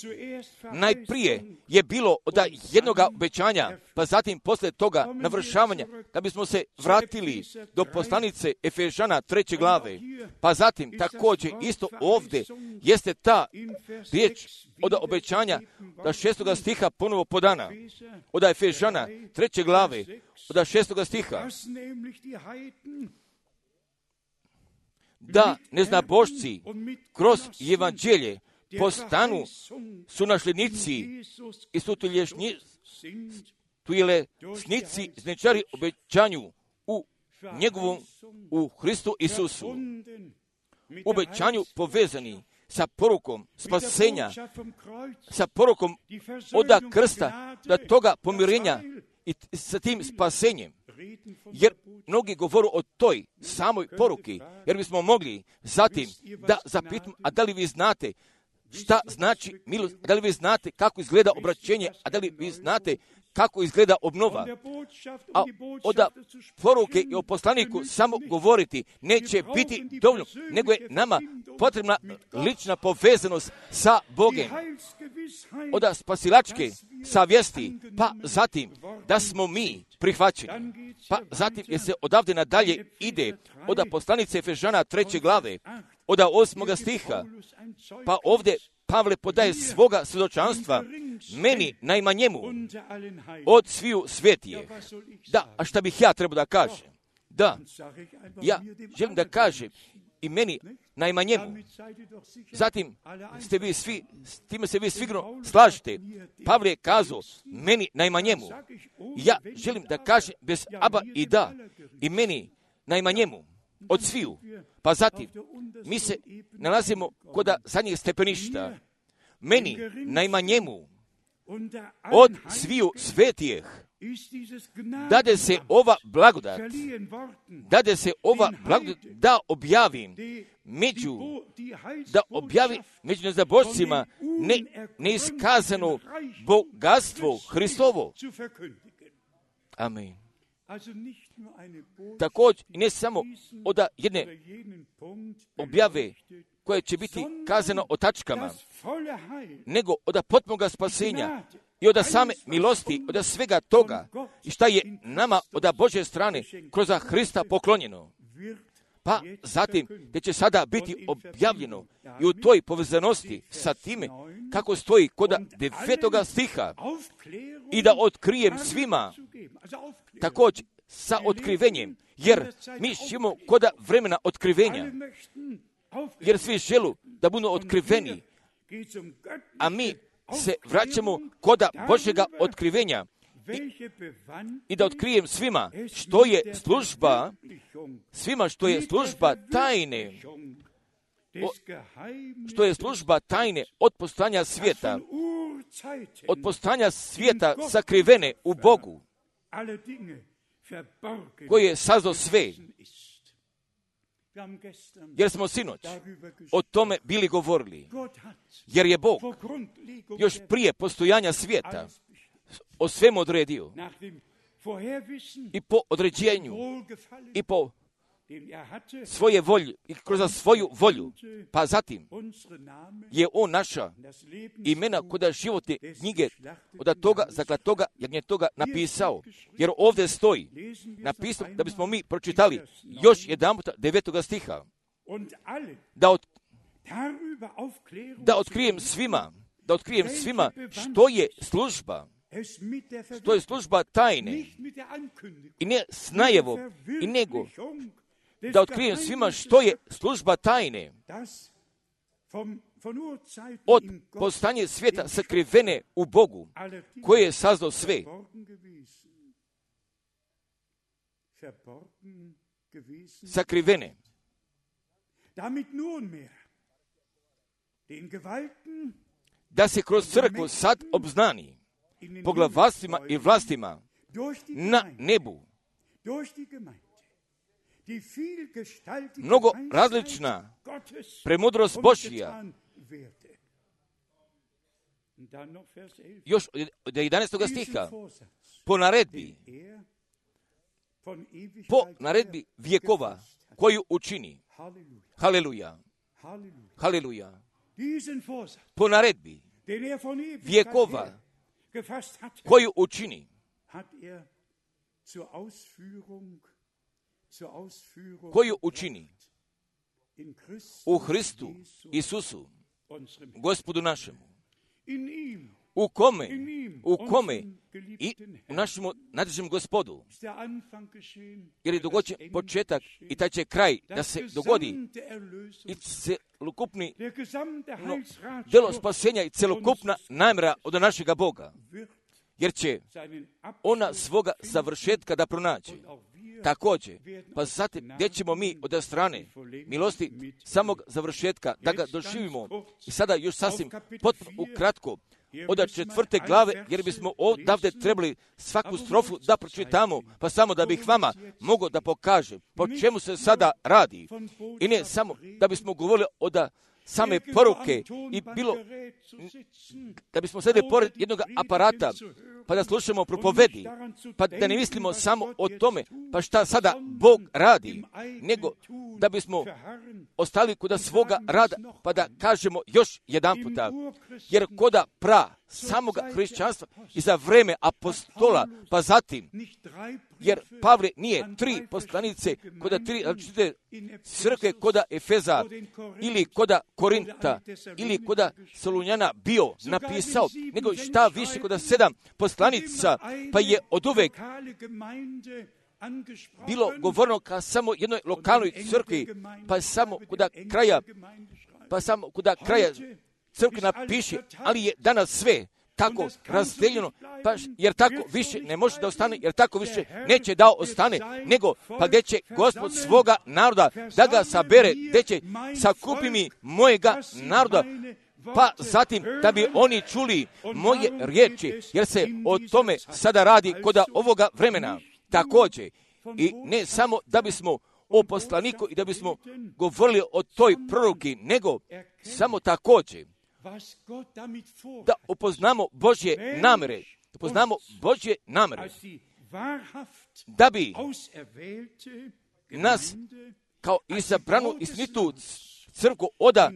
Najprije je bilo od jednoga obećanja, pa zatim posle toga navršavanja, da bismo se vratili do poslanice Efežana treće glave, pa zatim također isto ovdje jeste ta riječ od obećanja da šestoga stiha ponovo podana, od Efežana treće glave, od šestoga stiha, da neznabošci kroz evanđelje postanu sunašljenici i sutuljesnici znečari obećanju u njegovom, u Hristu Isusu. Obećanju povezani sa porukom spasenja, sa porukom oda krsta, da toga pomirenja i sa tim spasenjem. Jer mnogi govoru o toj samoj poruki, jer bismo mogli zatim da zapitamo, a da li vi znate šta znači milost, a da li vi znate kako izgleda obraćenje, a da li vi znate kako izgleda obnova. A od poruke i o poslaniku samo govoriti neće biti dovoljno, nego je nama potrebna lična povezanost sa Bogem. Od spasilačke savjesti, pa zatim da smo mi prihvaćeni. Pa zatim je se odavde nadalje ide od poslanice Efežana treće glave, od osmoga stiha, pa ovdje Pavle podaje svoga svjedočanstva meni najmanjemu od sviju svetije. Da, a šta bih ja trebao da kažem? Da, ja želim da kažem i meni najmanjemu. Zatim ste vi svi, s time se vi sigurno slažete. Pavle je kazao meni najmanjemu. Ja želim da kažem bez aba i da i meni najmanjemu od sviju. Pa zatim, mi se nalazimo kod zadnjeg stepeništa. Meni, najmanjemu, od sviju svetijeh, dade se ova blagodat, dade se ova blagodat da objavim među, da objavim među nezabošcima ne, neiskazano bogatstvo Hristovo. Amen. Također, ne samo od jedne objave koje će biti kazano o tačkama, nego od potpunog spasenja i od same milosti, od svega toga i šta je nama od Božje strane kroz Hrista poklonjeno. Pa zatim, gdje će sada biti objavljeno i u toj povezanosti sa time kako stoji kod devetoga stiha i da otkrijem svima, također sa otkrivenjem, jer mi živimo kod vremena otkrivenja, jer svi želu da budu otkriveni, a mi se vraćamo kod Božjega otkrivenja i, i da otkrijem svima što je služba, svima što je služba tajne, o, što je služba tajne od postojanja svijeta, od postojanja svijeta sakrivene u Bogu, koji je sazdao sve. Jer smo sinoć o tome bili govorili. Jer je Bog još prije postojanja svijeta o svemu odredio. I po određenju, i po svoje volje, i kroz svoju volju. Pa zatim je on naša imena kod životne knjige od toga, zakla toga, jagnje toga napisao. Jer ovdje stoji napisano da bismo mi pročitali još jedan puta devetoga stiha. Da, od, da otkrijem svima, da otkrijem svima što je služba, što je služba tajne i ne s najevom, i nego da otkrijem svima što je služba tajne od postanja svijeta sakrivene u Bogu, koji je sazdao sve. Sakrivene. Da se kroz crkvu sad obznani poglavarstvima i vlastima na nebu mnogo različna premudrost Božja. Još od jedanaestog stiha, po naredbi, po naredbi vjekova koju učini. Haleluja. Haleluja. Po naredbi vjekova koju učini. Koju učini u Hristu Isusu, Gospodu našemu, u kome, u kome i u našemu nadređenom Gospodu, jer je dogođen početak i taj će kraj da se dogodi i celokupni no, delo spasenja i celokupna namjera od našega Boga, jer će ona svoga završetka da pronađe. Također, pa zatim gdje ćemo mi od strane milosti samog završetka da ga doživimo. I sada još sasvim potpuno ukratko od četvrte glave, jer bismo odavde trebali svaku strofu da pročitamo, pa samo da bih vama mogao da pokažem po čemu se sada radi. I ne samo da bismo govorili od same poruke i bilo da bismo sedeli pored jednog aparata pa da slušamo propovedi, pa da ne mislimo samo o tome pa šta sada Bog radi, nego da bismo ostali kod svoga rada pa da kažemo još jedan puta, jer koda pra samoga hrišćanstva i za vreme apostola, pa zatim, jer Pavle nije tri poslanice koda tri različite crkve koda Efeza ili koda Korinta ili koda Solunjana bio napisao, nego šta više koda sedam poslanica, pa je od uvek bilo govorno ka samo jednoj lokalnoj crkvi, pa samo koda kraja, pa samo koda kraja crkvi napiše, ali je danas sve tako razdeljeno, pa, jer tako više ne može da ostane, jer tako više neće da ostane, nego pa gdje će Gospod svoga naroda da ga sabere, gdje će sakupi mi mojega naroda, pa zatim da bi oni čuli moje riječi, jer se o tome sada radi koda ovoga vremena. Također, i ne samo da bismo o poslaniku i da bismo govorili o toj proroki, nego samo također da upoznamo Božje namere, upoznamo Božje namere, da bi nas kao izabranu istinitu crkvu oda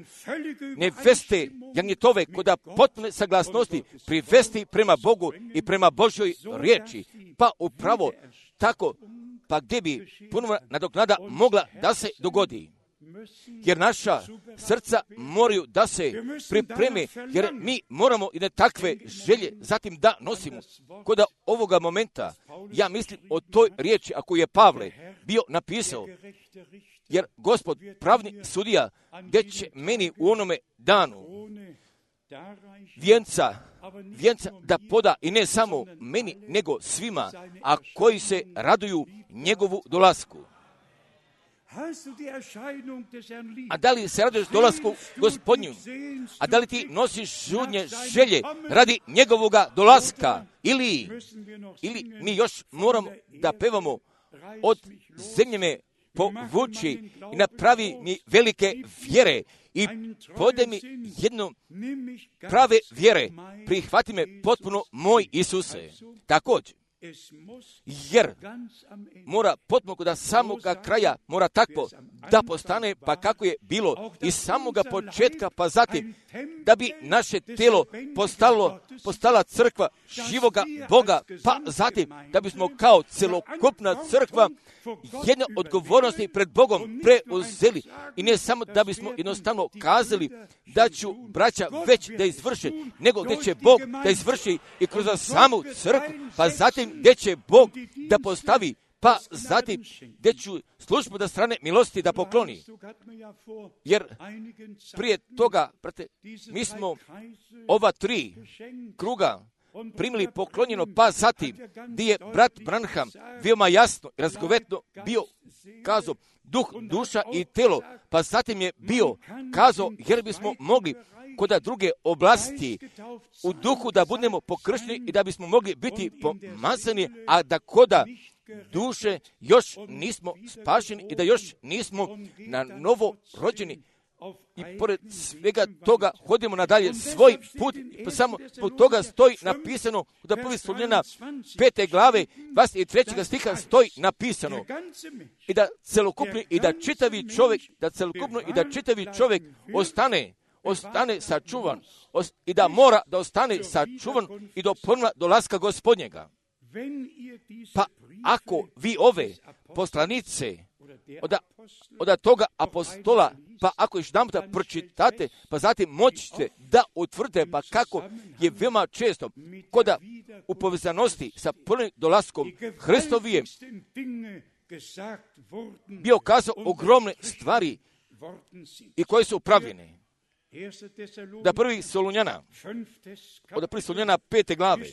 neveste jagnjetove koda potpune saglasnosti privesti prema Bogu i prema Božjoj riječi, pa upravo tako, pa gdje bi ponovna nadoknada mogla da se dogodi. Jer naša srca moraju da se pripreme, jer mi moramo i na takve želje zatim da nosimo. Koda ovoga momenta, ja mislim o toj riječi, ako je Pavle bio napisao, jer Gospod pravni sudija, gdje će meni u onome danu vijenca, vijenca da poda i ne samo meni, nego svima, a koji se raduju njegovu dolasku. A da li se raduješ dolasku Gospodnju? A da li ti nosiš žudnje želje radi njegovoga dolaska? Ili, ili mi još moramo da pevamo od zemlje me povuči i napravi mi velike vjere i pode mi jedno prave vjere, prihvati me potpuno moj Isuse. Također, jer mora potpuno da samoga kraja mora tako da postane pa kako je bilo iz samoga početka, pa zatim da bi naše telo postalo, postala crkva živoga Boga, pa zatim da bismo kao celokupna crkva jedne odgovornosti pred Bogom preuzeli i ne samo da bismo jednostavno kazali da ću braća već da izvrše, nego gdje će Bog da izvrši i kroz samu crkvu, pa zatim gdje će Bog da postavi pa zatim gdje ću službu da strane milosti da pokloni. Jer prije toga, brate, mi smo ova tri kruga primili poklonjeno, pa zatim gdje je brat Branham veoma jasno i razgovetno bio kazao duh, duša i telo, pa zatim je bio kazao jer bismo mogli kod druge oblasti u duhu da budemo pokršteni i da bismo mogli biti pomazani, a da koda duše još nismo spašeni i da još nismo na novo rođeni. I pored svega toga hodimo nadalje svoj put, pa samo zbog toga stoji napisano da prvi Solunjana pete glave dvadeset trećeg stiha stoji napisano i da celokupni i da čitavi čovjek, da celokupno i da čitavi čovjek ostane, ostane sačuvan os, i da mora da ostane sačuvan i do ponovna dolaska Gospodnjega. Pa ako vi ove poslanice od, od toga apostola, pa ako još jedan puta pročitate, pa zatim moćete da utvrdite, pa kako je veoma često koda u povezanosti sa prvim dolaskom Hristovijem bio kazao ogromne stvari i koje su upravljene. Da prvi Solunjana, od prvi Solunjana pete glave,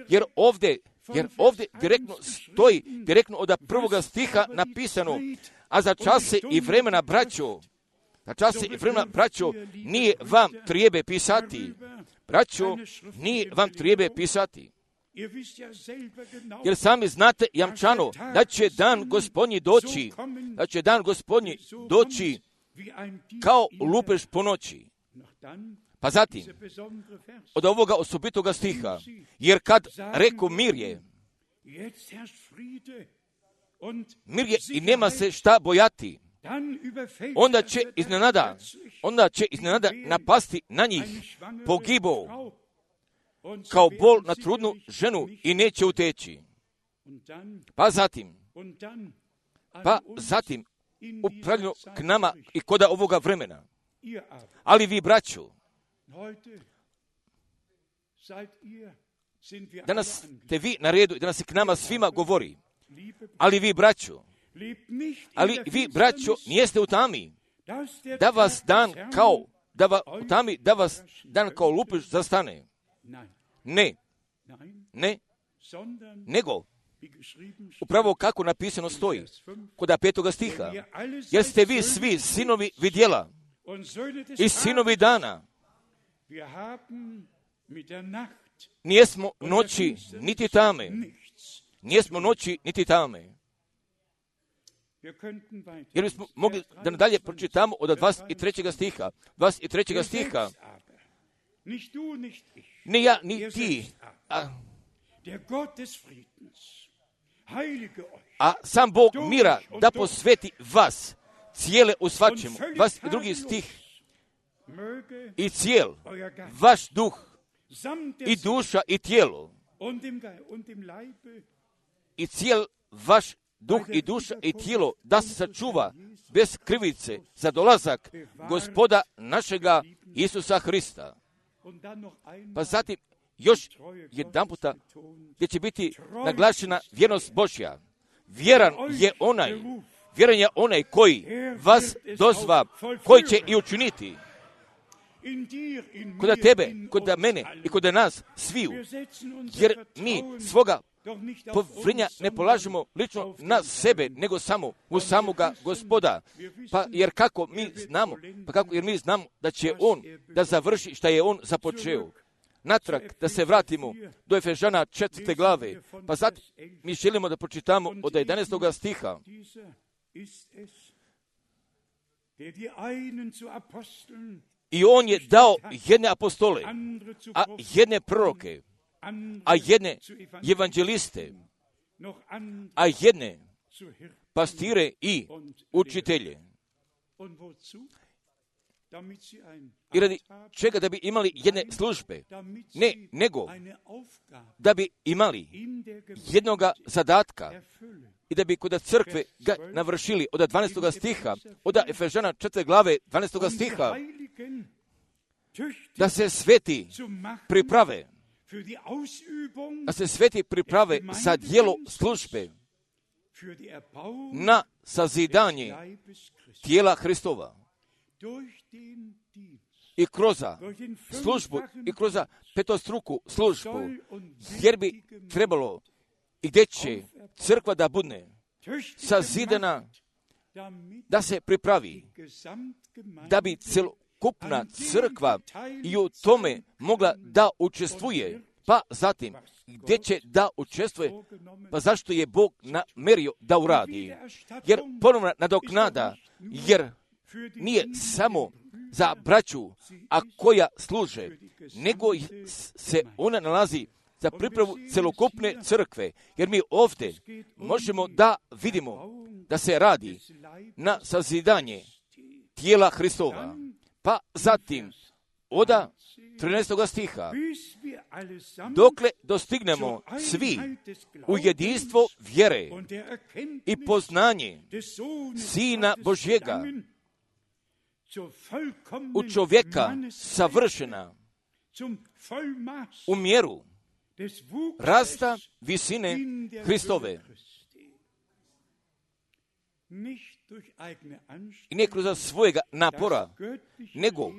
jer ovdje, jer ovdje direktno stoji, direktno od prvoga stiha napisano, a za čase i vremena, braćo, za čase i vremena, braćo, nije vam trijebe pisati. Braćo, nije vam trijebe pisati. Jer sami znate jamčano da će dan Gospodnji doći, da će dan Gospodnji doći kao lupež po noći. Pa zatim, od ovoga osobitoga stiha, jer kad reku mir je, mir je i nema se šta bojati, onda će iznenada, onda će iznenada napasti na njih pogibo, kao bol na trudnu ženu i neće uteći. Pa zatim, pa zatim, upravljeno k nama i koda ovoga vremena. Ali vi, braćo, danas ste vi na redu i danas se k nama svima govori. Ali vi, braćo, ali vi, braćo, nijeste u tami, da vas dan kao, da va, u tami, da vas dan kao lupež zastane. Ne, ne, nego, upravo kako napisano stoji, kod petoga stiha, jer ste vi svi sinovi vidjela i sinovi dana. Nijesmo noći niti tame, nijesmo noći niti tame. Jer bismo mogli da nadalje pročitamo od dvadeset trećeg stiha, dvadeset trećeg stiha, ni ja, ni ti, a, a sam Bog mira da posveti vas cijele u svačemu. dvadeset drugi stih, i cijel vaš duh i duša i tijelo i cijel vaš duh i duša i tijelo da se sačuva bez krivice za dolazak Gospoda našega Isusa Hrista. Pa zatim još jedan puta gdje će biti naglašena vjernost Božja. Vjeran je onaj, vjeran je onaj koji vas dozva, koji će i učiniti. Kod tebe, kod mene i kod nas sviju. Jer mi svoga povrinja ne polažemo lično na sebe, nego samo u samoga Gospoda. Pa jer kako mi znamo, pa kako jer mi znamo da će On da završi šta je On započeo. Natrag da se vratimo do Efežana četvrte glave, pa sad mi želimo da pročitamo od jedanaestog stiha. I on je dao jedne apostole, a jedne proroke, a jedne evanđeliste, a jedne pastire i učitelje. I radi čega? Da bi imali jedne službe. Ne, nego da bi imali jednoga zadatka i da bi kod crkve ga navršili od dvanaestog stiha, od Efežana četvrte glave dvanaestog stiha, da se sveti priprave, da se sveti priprave za djelo službe, na sazidanje tijela Hristova. I kroz službu, i kroz petostruku službu, jer bi trebalo i gdje će crkva da bude sazidana, da se pripravi, da bi celokupna crkva i u tome mogla da učestvuje, pa zatim gdje će da učestvuje, pa zašto je Bog namerio da uradi. Jer ponovna nadoknada, jer nije samo za braću, a koja služe, nego se ona nalazi za pripravu celokupne crkve, jer mi ovdje možemo da vidimo da se radi na sazidanje tijela Hristova. Pa zatim, oda trinaestog stiha, dokle dostignemo svi u jedinstvo vjere i poznanje Sina Božjega, u čovjeka savršena, u mjeru rasta visine Hristove. I ne kroz svojega napora, nego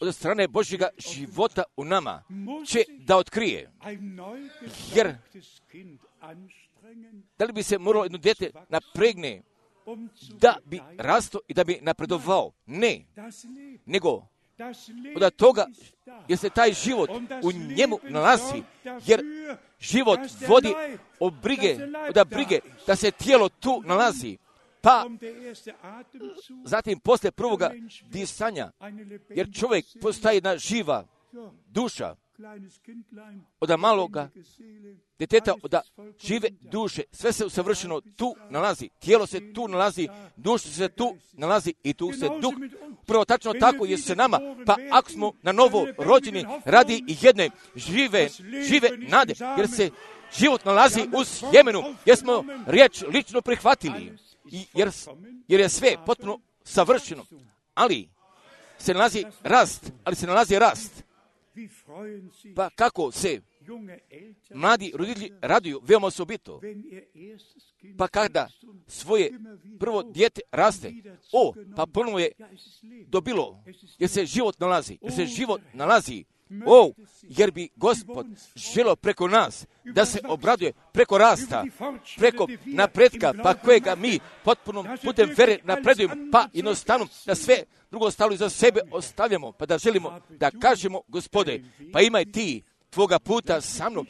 od strane Božjega života u nama će da otkrije. Jer da li bi se moralo jedno dijete napregne da bi rasto i da bi napredovao? Ne, nego od toga jer se taj život u njemu nalazi, jer život vodi od brige, od brige da se tijelo tu nalazi. Pa zatim poslije prvoga disanja, jer čovjek postaje jedna živa duša, od maloga djeteta, od žive duše, sve se usavršeno tu nalazi, tijelo se tu nalazi, duša se tu nalazi i tu se duh. Prvo tačno tako je se nama, pa ako smo na novo rođeni radi i jedne žive, žive nade, jer se život nalazi u Sjemenu, jer smo riječ lično prihvatili, jer, jer je sve potpuno savršeno, ali se nalazi rast, ali se nalazi rast. Pa kako se mladi roditelji raduju veoma osobito, pa kada svoje prvo dijete raste, o, pa ponovo je dobilo, jer se život nalazi, jer se život nalazi, o, jer bi Gospod želio preko nas da se obraduje preko rasta, preko napretka, pa kojega mi potpuno putem vere napredujemo, pa jednostavno da sve drugo stavljamo za sebe ostavljamo, pa da želimo da kažemo, Gospode, pa imaj ti tvoga puta sa mnom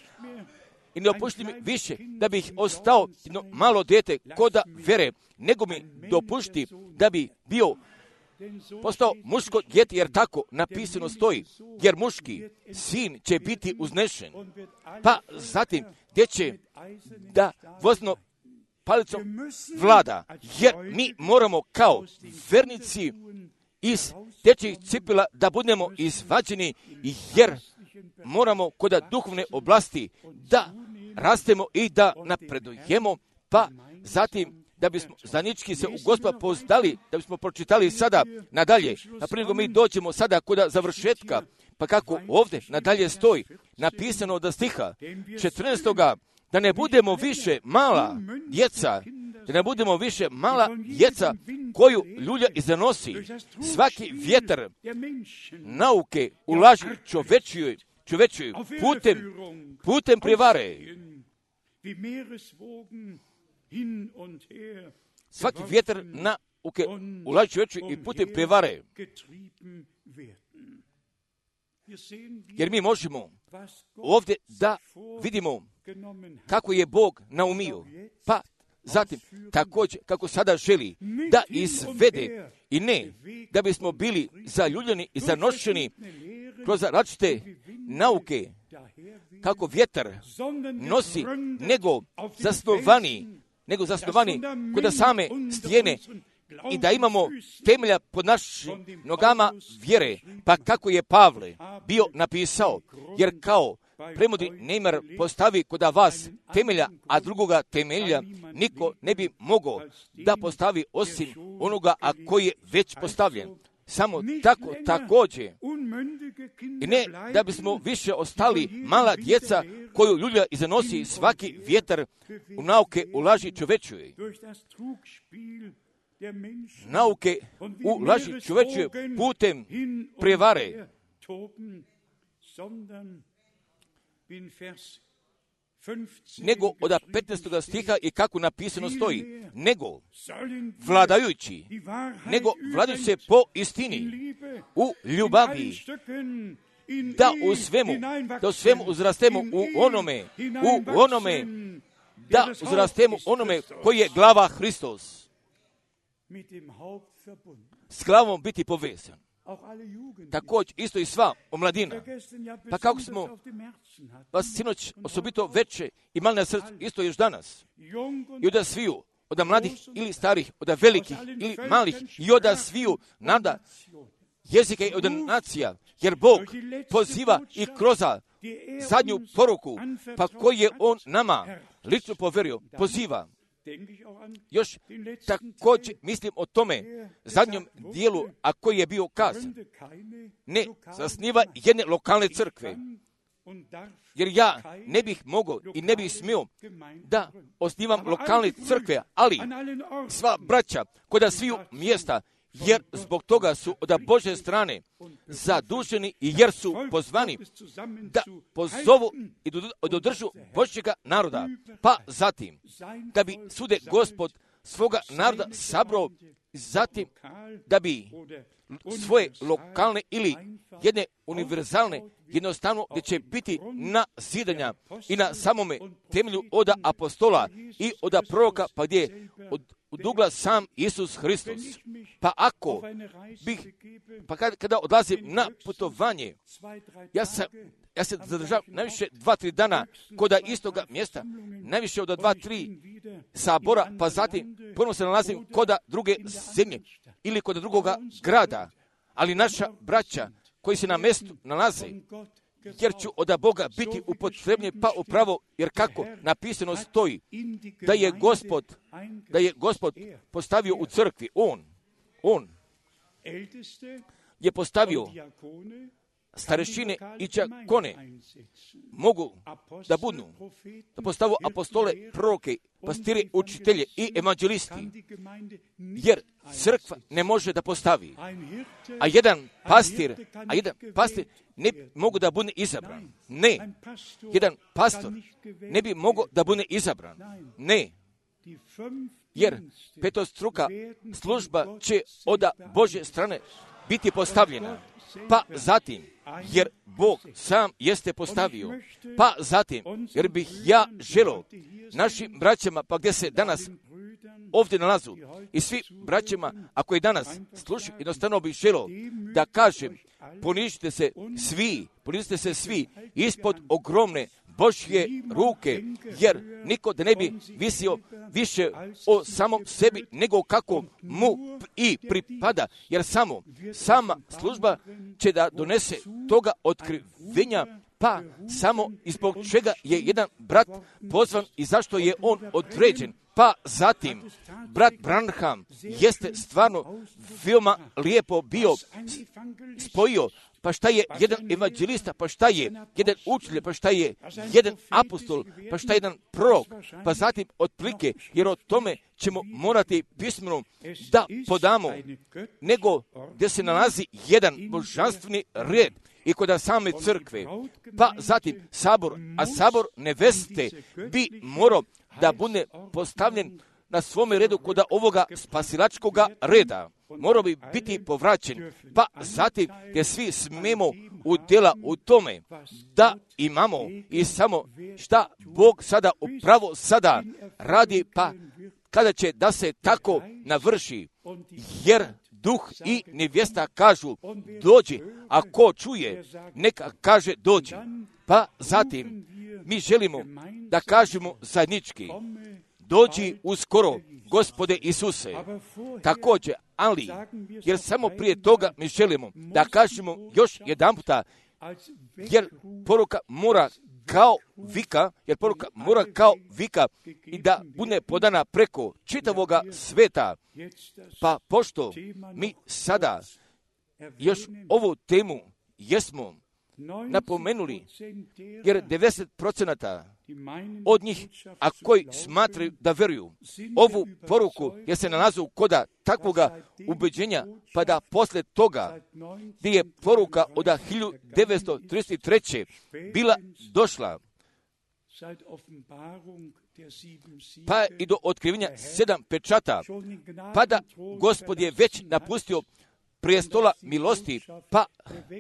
i ne opušti mi više da bih ostao jedno malo dijete koda vere, nego mi dopušti da bi bio postao muško dijete, jer tako napisano stoji, jer muški sin će biti uznešen, pa zatim gdje će da vozno palicom vlada, jer mi moramo kao vernici iz dječjih cipela da budemo izvađeni, jer moramo kod duhovne oblasti da rastemo i da napredujemo, pa zatim da bismo zajednički se u Gospoda poznali, da bismo pročitali sada nadalje, a prije nego mi dođemo sada kod završetka, pa kako ovdje nadalje stoji, napisano od stiha četrnaestoga, da ne budemo više mala djeca, da ne budemo više mala djeca koju ljulja izanosi. Svaki vjetar nauke ulaži čovečiju, čovečiju putem, putem prevare. Svaki vjetar nauke ulaži čovečiju i putem prevare. Jer mi možemo ovdje da vidimo kako je Bog naumio, pa zatim također kako sada želi da izvede, i ne da bismo bili zaljuljeni i zanošeni kroz različite nauke kako vjetar nosi, nego zasnovani, nego zasnovani kod same stijene, i da imamo temelja pod našim nogama vjere, pa kako je Pavle bio napisao, jer kao premudri Neymar postavi kod vas temelja, a drugoga temelja niko ne bi mogao da postavi osim onoga a koji je već postavljen. Samo tako također, i ne da bismo više ostali mala djeca koju ljulja i zanosi svaki vjetar u nauke u laži čovečuje. Nauke u laži čovečuje putem prevare. Nego od petnaestog stiha i kako napisano stoji, nego vladajući, nego vladajući se po istini, u ljubavi, da u svemu, da u svemu uzrastemo u onome, u onome, da uzrastemo onome koji je glava Hristos. S glavom biti povezan. Također isto i sva omladina. Pa kako smo vas sinoć osobito veće imali na srcu, isto još danas. I od sviju, od mladih ili starih, od velikih ili malih, i od sviju nada jezika i od nacija, jer Bog poziva i kroz zadnju poruku, pa koji je On nama lično poverio, poziva. Još također mislim o tome zadnjom dijelu, a koji je bio kazan. Ne zasniva jedne lokalne crkve, jer ja ne bih mogao i ne bih smio da osnivam lokalne crkve, ali sva braća kod sviju mjesta, jer zbog toga su od Božje strane zaduženi i jer su pozvani da pozovu i dodržu Božjega naroda. Pa zatim, da bi sude Gospod svoga naroda sabrao, zatim da bi svoje lokalne ili jedne univerzalne, jednostavno gdje će biti na zidanja i na samome temelju od apostola i od proroka, pa gdje od od ugla sam Isus Hristos. Pa ako bih, pa kada, kada odlazim na putovanje, ja sam, ja se zadržavam najviše dva, tri dana kod istoga mjesta, najviše od dva, tri sabora, pa zatim ponovno se nalazim kod druge zemlje ili kod drugoga grada. Ali naša braća koji se na mjestu nalaze, jer ću od Boga biti upotrebljen pa upravo, jer kako napisano stoji, da je Gospod, da je Gospod postavio u crkvi, On, On je postavio starešine i đakone, mogu da budu, da postavu apostole, proroke, pastire, učitelje i evanđelisti, jer crkva ne može da postavi. A jedan pastir, a jedan pastir ne mogu da bude izabran. Ne. Jedan pastor ne bi mogao da bude izabran. Ne. Jer petostruka služba će od Božje strane biti postavljena. Pa zatim, jer Bog sam jeste postavio. Pa zatim, jer bih ja želio našim braćama, pa gdje se danas ovdje nalazu, i svi braćama, ako je danas slušaju, jednostavno bih želio da kažem, ponižite se svi, ponižite se svi ispod ogromne Božje ruke, jer niko da ne bi visio više o samom sebi nego kako mu i pripada, jer samo sama služba će da donese toga otkrivenja, pa samo izbog čega je jedan brat pozvan i zašto je on određen. Pa zatim, brat Branham jeste stvarno veoma lijepo bio spojio, pa šta je jedan evanđelista, pa šta je jedan učitelj, pa šta je jedan apostol, pa šta je jedan prorok, pa zatim otplike, jer o tome ćemo morati pismeno da podamo, nego gdje se nalazi jedan božanstveni red i kod same crkve, pa zatim sabor, a sabor neveste bi morao da bude postavljen na svome redu kod ovoga spasilačkoga reda. Morao bi biti povraćen, pa zatim gdje svi smemo udjela u tome da imamo i samo šta Bog sada upravo sada radi, pa kada će da se tako navrši, jer duh i nevjesta kažu dođi, a ko čuje neka kaže dođi. Pa zatim mi želimo da kažemo zajednički dođi uskoro, Gospode Isuse. Također, ali, jer samo prije toga mi želimo da kažemo još jedan puta, jer poruka mora kao vika, jer poruka mora kao vika i da bude podana preko čitavoga sveta. Pa pošto mi sada još ovu temu jesmo napomenuli, jer devedeset posto od njih, a koji smatraju da veruju ovu poruku, jer se nalaze koda takvoga ubeđenja, pa da posle toga, gdje je poruka od hiljadu devetsto trideset treće bila došla, pa i do otkrivenja sedam pečata, pa da Gospod je već napustio prijestola milosti, pa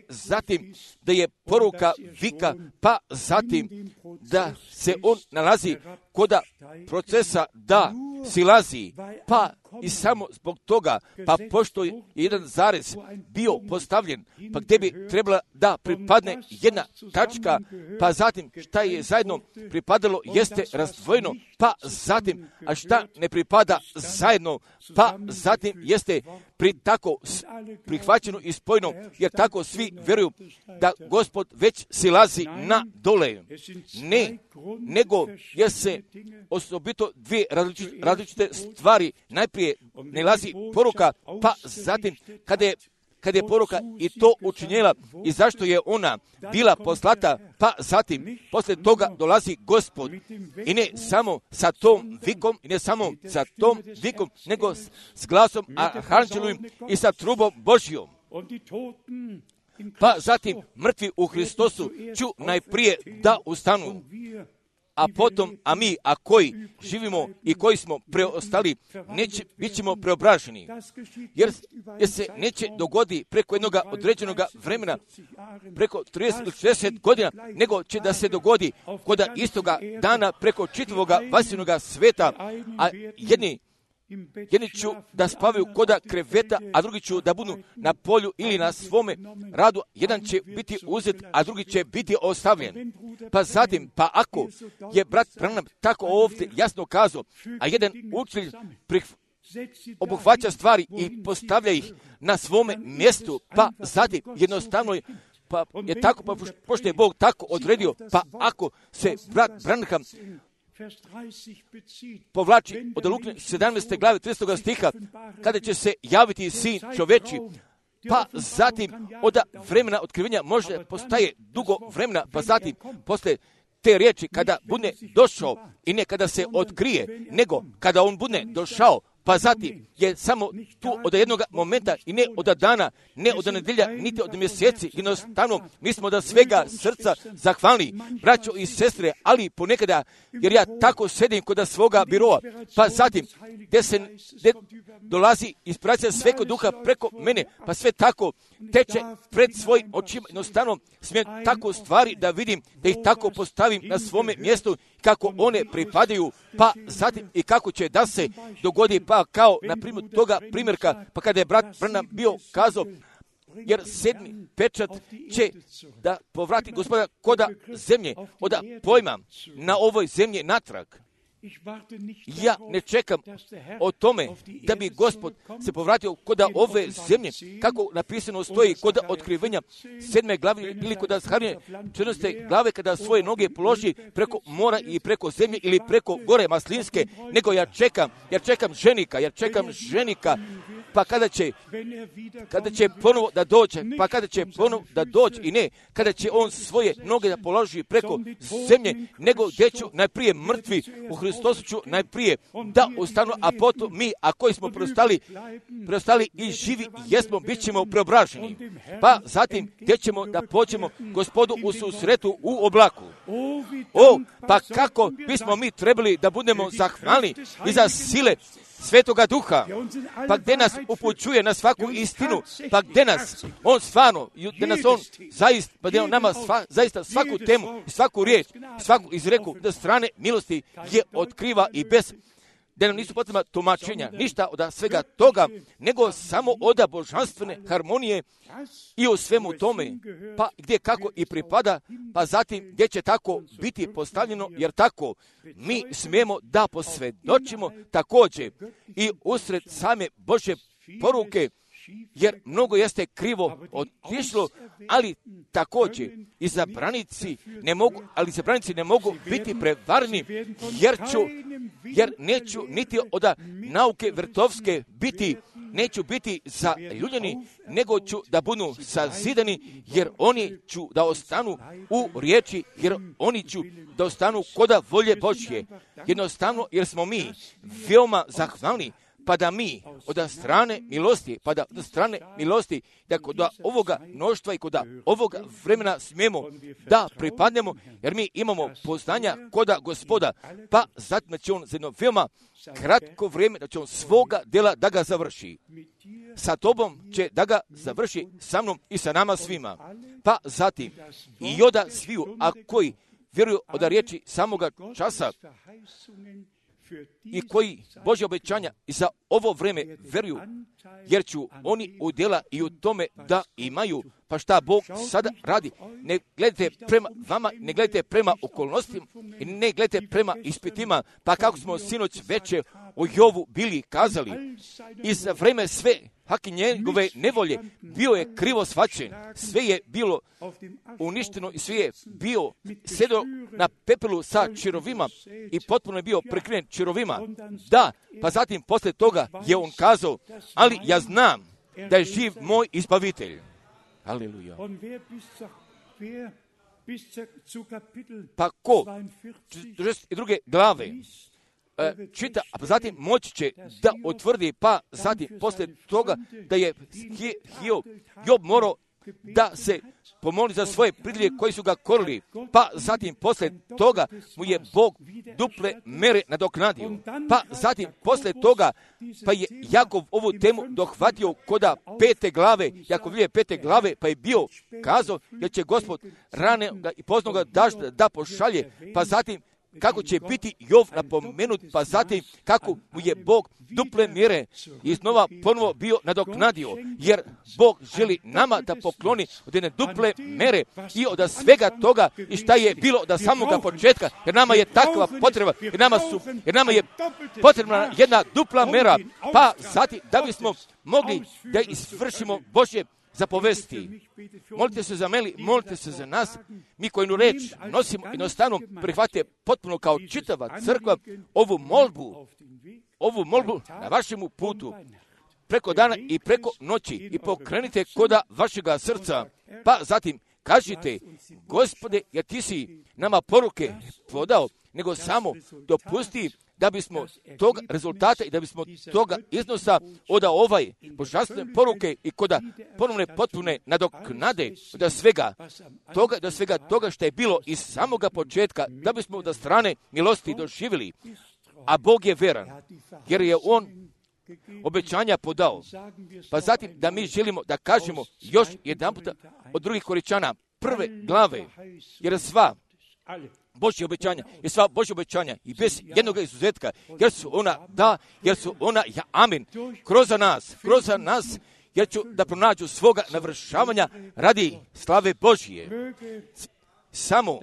zatim da je poruka vika, pa zatim da se on nalazi koda procesa da silazi, pa i samo zbog toga, pa pošto je jedan zarez bio postavljen, pa gdje bi trebala da pripadne jedna tačka, pa zatim šta je zajedno pripadalo jeste razdvojeno, pa zatim, a šta ne pripada zajedno, pa zatim jeste pri tako prihvaćeno i spojeno, jer tako svi vjeruju da Gospod već silazi na dole. Ne, nego jer se osobito dvije različite, različite stvari, najprije ne lazi poruka, pa zatim kada je kad je poruka i to učinjela i zašto je ona bila poslata, pa zatim posle toga dolazi Gospod i ne samo sa tom vikom, i ne samo sa tom vikom, nego s, s glasom arhanđelovim i sa trubom Božjom. Pa zatim mrtvi u Hristosu ću najprije da ustanu, a potom, a mi, a koji živimo i koji smo preostali, neće, bit ćemo preobraženi. Jer, jer se neće dogodi preko jednog određenog vremena, preko trideset ili šezdeset godina, nego će da se dogodi koda istoga dana preko čitavoga vasivnoga sveta, a jedni Jedni ću da spavaju koda kreveta, a drugi ću da budu na polju ili na svome radu. Jedan će biti uzet, a drugi će biti ostavljen. Pa zatim, pa ako je brat Branham tako ovdje jasno kazao, a jedan učitelj obuhvaća stvari i postavlja ih na svome mjestu, pa zatim jednostavno je, pa je tako, pa pošto je Bog tako odredio, pa ako se brat Branham povlači od Luke sedamnaeste glave tridesetog stiha, kada će se javiti sin čoveči, pa zatim od vremena otkrivenja može postaje dugo vremena, pa zatim posle te riječi kada bude došao i ne kada se otkrije, nego kada on bude došao, pa zatim je samo tu od jednog momenta i ne od dana, ne od nedelja, niti od mjeseci. Jednostavno, mi smo da svega srca zahvalni, braćo i sestre, ali ponekada, jer ja tako sedim kod svoga biroa, pa zatim, gdje se gdje dolazi inspiracija Svetog Duha preko mene, pa sve tako teče pred svojim očima. Jednostavno, smijem tako stvari da vidim, da ih tako postavim na svome mjestu, kako one pripadaju, pa zatim i kako će da se dogodi, pa kao na primjer toga primjerka, pa kada je brat Branham bio kazao, jer sedmi pečat će da povrati Gospoda koda zemlje, od pojma na ovoj zemlji natrag. Ja ne čekam o tome da bi Gospod se povratio koda ove zemlje, kako napisano stoji koda otkrivenja sedme glave ili koda Zaharije četrnaeste glave, kada svoje noge položi preko mora i preko zemlje ili preko gore Maslinske, nego ja čekam, ja čekam ženika, ja čekam ženika, pa kada će, kada će ponovo da dođe, pa kada će ponovo da dođe i ne, kada će on svoje noge da položi preko zemlje, nego gdje ću najprije mrtvi u Hristosu ću najprije da ustanu, a potom mi, a koji smo preostali, preostali i živi jesmo, bit ćemo preobraženi. Pa zatim gdje ćemo da pođemo Gospodu u susretu u oblaku. O, pa kako bismo mi trebali da budemo zahvalni i za sile Svetoga Duha, pa gdje nas upućuje na svaku istinu, pa gdje nas on stvarno, gdje nas on zaista, pa gdje on nama sva, zaista svaku temu, svaku riječ, svaku izreku do strane milosti je otkriva i bez, da nam nisu potrebna tumačenja, ništa od svega toga, nego samo od božanstvene harmonije i u svemu tome, pa gdje kako i pripada, pa zatim gdje će tako biti postavljeno, jer tako mi smijemo da posvjedočimo također i usred same Božje poruke, jer mnogo jeste krivo otišlo, ali također i zabranici ne mogu, ali zabranici ne mogu biti prevarni, jer ću, jer neću niti od nauke vrtovske biti neću biti zaljubljeni, nego ću da budu sazidani, jer oni ću da ostanu u riječi, jer oni ću da ostanu koda volje Božje. Jednostavno, jer smo mi veoma zahvalni, pa da mi od strane milosti, pa da od strane milosti, da kod ovoga mnoštva i kod ovoga vremena smijemo da pripadnemo, jer mi imamo poznanja koda Gospoda, pa zatim će on za jedno veoma kratko vrijeme, da će on svoga djela da ga završi. Sa tobom će da ga završi, sa mnom i sa nama svima. Pa zatim i oda sviju, a koji vjeruju od riječi samoga časa, i koji Božje obećanja i za ovo vreme veruju, jer ću oni udjela i u tome da imaju. Pa šta Bog sada radi? Ne gledajte prema vama, ne gledajte prema okolnostima i ne gledajte prema ispitima, pa kako smo sinoć veče o Jovu bili kazali, i za vreme sve haki njegove nevolje bio je krivo shvaćen, sve je bilo uništeno i sve je bio sjedio na pepelu sa čirovima i potpuno je bio prekriven čirovima. Da, pa zatim posle toga je on kazao, ali ja znam da je živ moj izbavitelj. Aleluja. Pa ko četrdeset druge glave čita, a zatim moći će da otvrdi, pa zatim posle toga da je Hiob Job morao da se pomoli za svoje pridlje koji su ga korili, pa zatim posle toga mu je Bog duple mere nadoknadio, pa zatim posle toga pa je Jakov ovu temu dohvatio koda pete glave, Jakov je pete glave, pa je bio kazao jer će Gospod rane i poznoga dažda da pošalje, pa zatim kako će biti Jov napomenut, pa zatim kako mu je Bog duple mjere iznova ponovo bio nadoknadio, jer Bog želi nama da pokloni od jedne duple mere i od svega toga i šta je bilo od samoga početka, jer nama je takva potreba, jer nama, su, jer nama je potrebna jedna dupla mera, pa zatim da bismo mogli da izvršimo Božje zapovesti. Molite se za mene, molite se za nas, mi koju reč nosimo jednostavno prihvatite potpuno kao čitava crkva ovu molbu, ovu molbu na vašemu putu, preko dana i preko noći i pokrenite koda vašega srca, pa zatim kažite, Gospode, jer ti si nama poruke podao, nego samo dopusti da bismo tog rezultata i da bismo toga iznosa oda ovaj božanstvene poruke i koda ponovne potpune nadoknade da svega toga, da svega toga što je bilo iz samoga početka, da bismo od strane milosti doživjeli. A Bog je veran, jer je On obećanja podao. Pa zatim da mi želimo da kažemo još jedan puta od drugih Koričana prve glave, jer sva Božje obećanja, jer sva Božje obećanja i bez jednog izuzetka, jer su ona da, jer su ona ja, amin, kroz nas, kroz nas, jer ću da pronađu svoga navršavanja radi slave Božje. Samo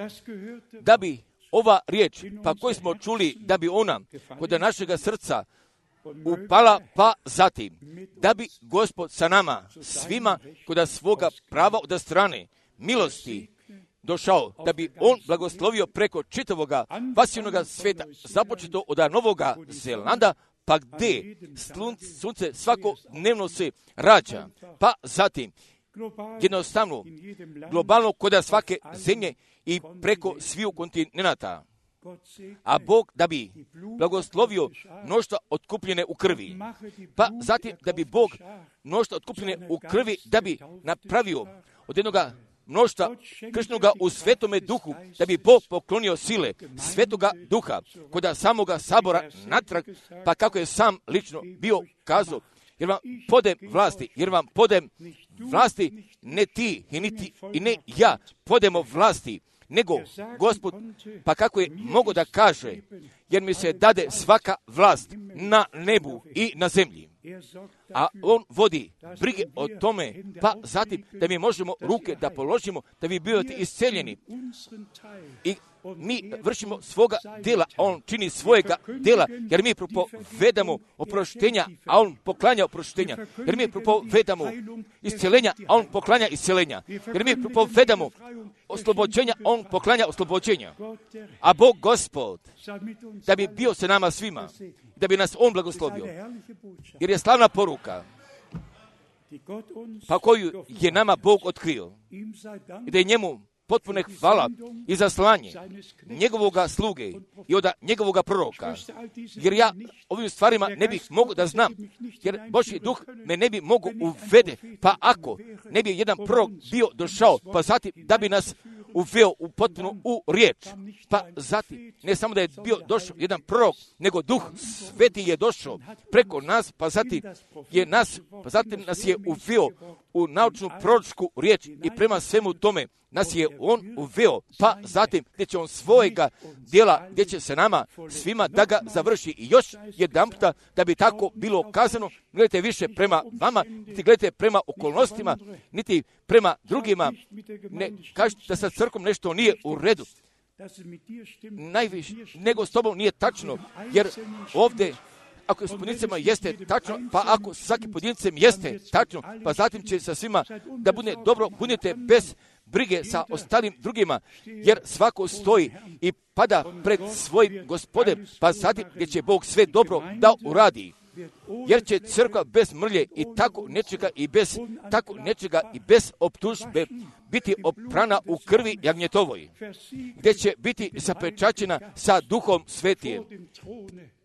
da bi ova riječ, pa koju smo čuli, da bi ona kod našega srca upala, pa zatim, da bi Gospod sa nama, svima, kod svoga prava od strane milosti, došao, da bi on blagoslovio preko čitavoga pasivnoga sveta, započeto od Novoga Zelanda, pa gdje sunce svakodnevno se rađa, pa zatim jednostavno globalno kod svake zemlje i preko sviju kontinenata. A Bog da bi blagoslovio mnoštva otkupljene u krvi, pa zatim da bi Bog mnoštva otkupljene u krvi da bi napravio od jednoga mnoštva krštenoga u Svetome Duhu, da bi Bog poklonio sile Svetoga Duha kod samoga sabora natrag, pa kako je sam lično bio kazao, jer vam podem vlasti, jer vam podem vlasti, ne ti i, niti, i ne ja podemo vlasti, nego Gospod, pa kako je mogo da kaže, jer mi se dade svaka vlast na nebu i na zemlji. A on vodi brige o tome, pa zatim da mi možemo ruke da položimo, da vi bivate isceljeni. I mi vršimo svoga djela, a on čini svojega djela, jer mi propovedamo oproštenja, a on poklanja oproštenja. Jer mi propovedamo isceljenja, a on poklanja isceljenja. Jer mi propovedamo oslobođenja, a on poklanja oslobođenja. A Bog Gospod, da bi bio sa nama svima, da bi nas on blagoslovio. Jer je slavna poruka pa koju je nama Bog otkrio. I da je njemu potpune hvala i za slanje njegovoga sluge i od njegovoga proroka. Jer ja ovim stvarima ne bih mogao da znam, jer Božji duh me ne bi mogao uvede, pa ako ne bi jedan prorok bio došao, pa zatim da bi nas uveo u potpuno u riječ. Pa zatim, ne samo da je bio došao jedan prorok, nego Duh Sveti je došao preko nas, pa zatim je nas, pa zatim nas je uveo u naučnu proročku riječ i prema svemu tome nas je on uveo, pa zatim gdje će on svojega djela, gdje će se nama svima da ga završi. I još jedan puta da bi tako bilo kazano, gledajte više prema vama, niti gledajte prema okolnostima, niti prema drugima. Ne kažete da sa crkom nešto nije u redu. Najviše, nego s tobom nije tačno, jer ovdje ako s pojedincima jeste tačno, pa ako svaki pojedincem jeste tačno, pa zatim će sa svima da bude dobro, budete bez brige sa ostalim drugima, jer svako stoji i pada pred svojim Gospodem, pa zatim gdje će Bog sve dobro da uradi. Jer će crkva bez mrlje i tako nečega i bez tako nečega i bez optužbe biti oprana u krvi jagnjetovoj, gdje će biti zapečaćena sa Duhom Svetijem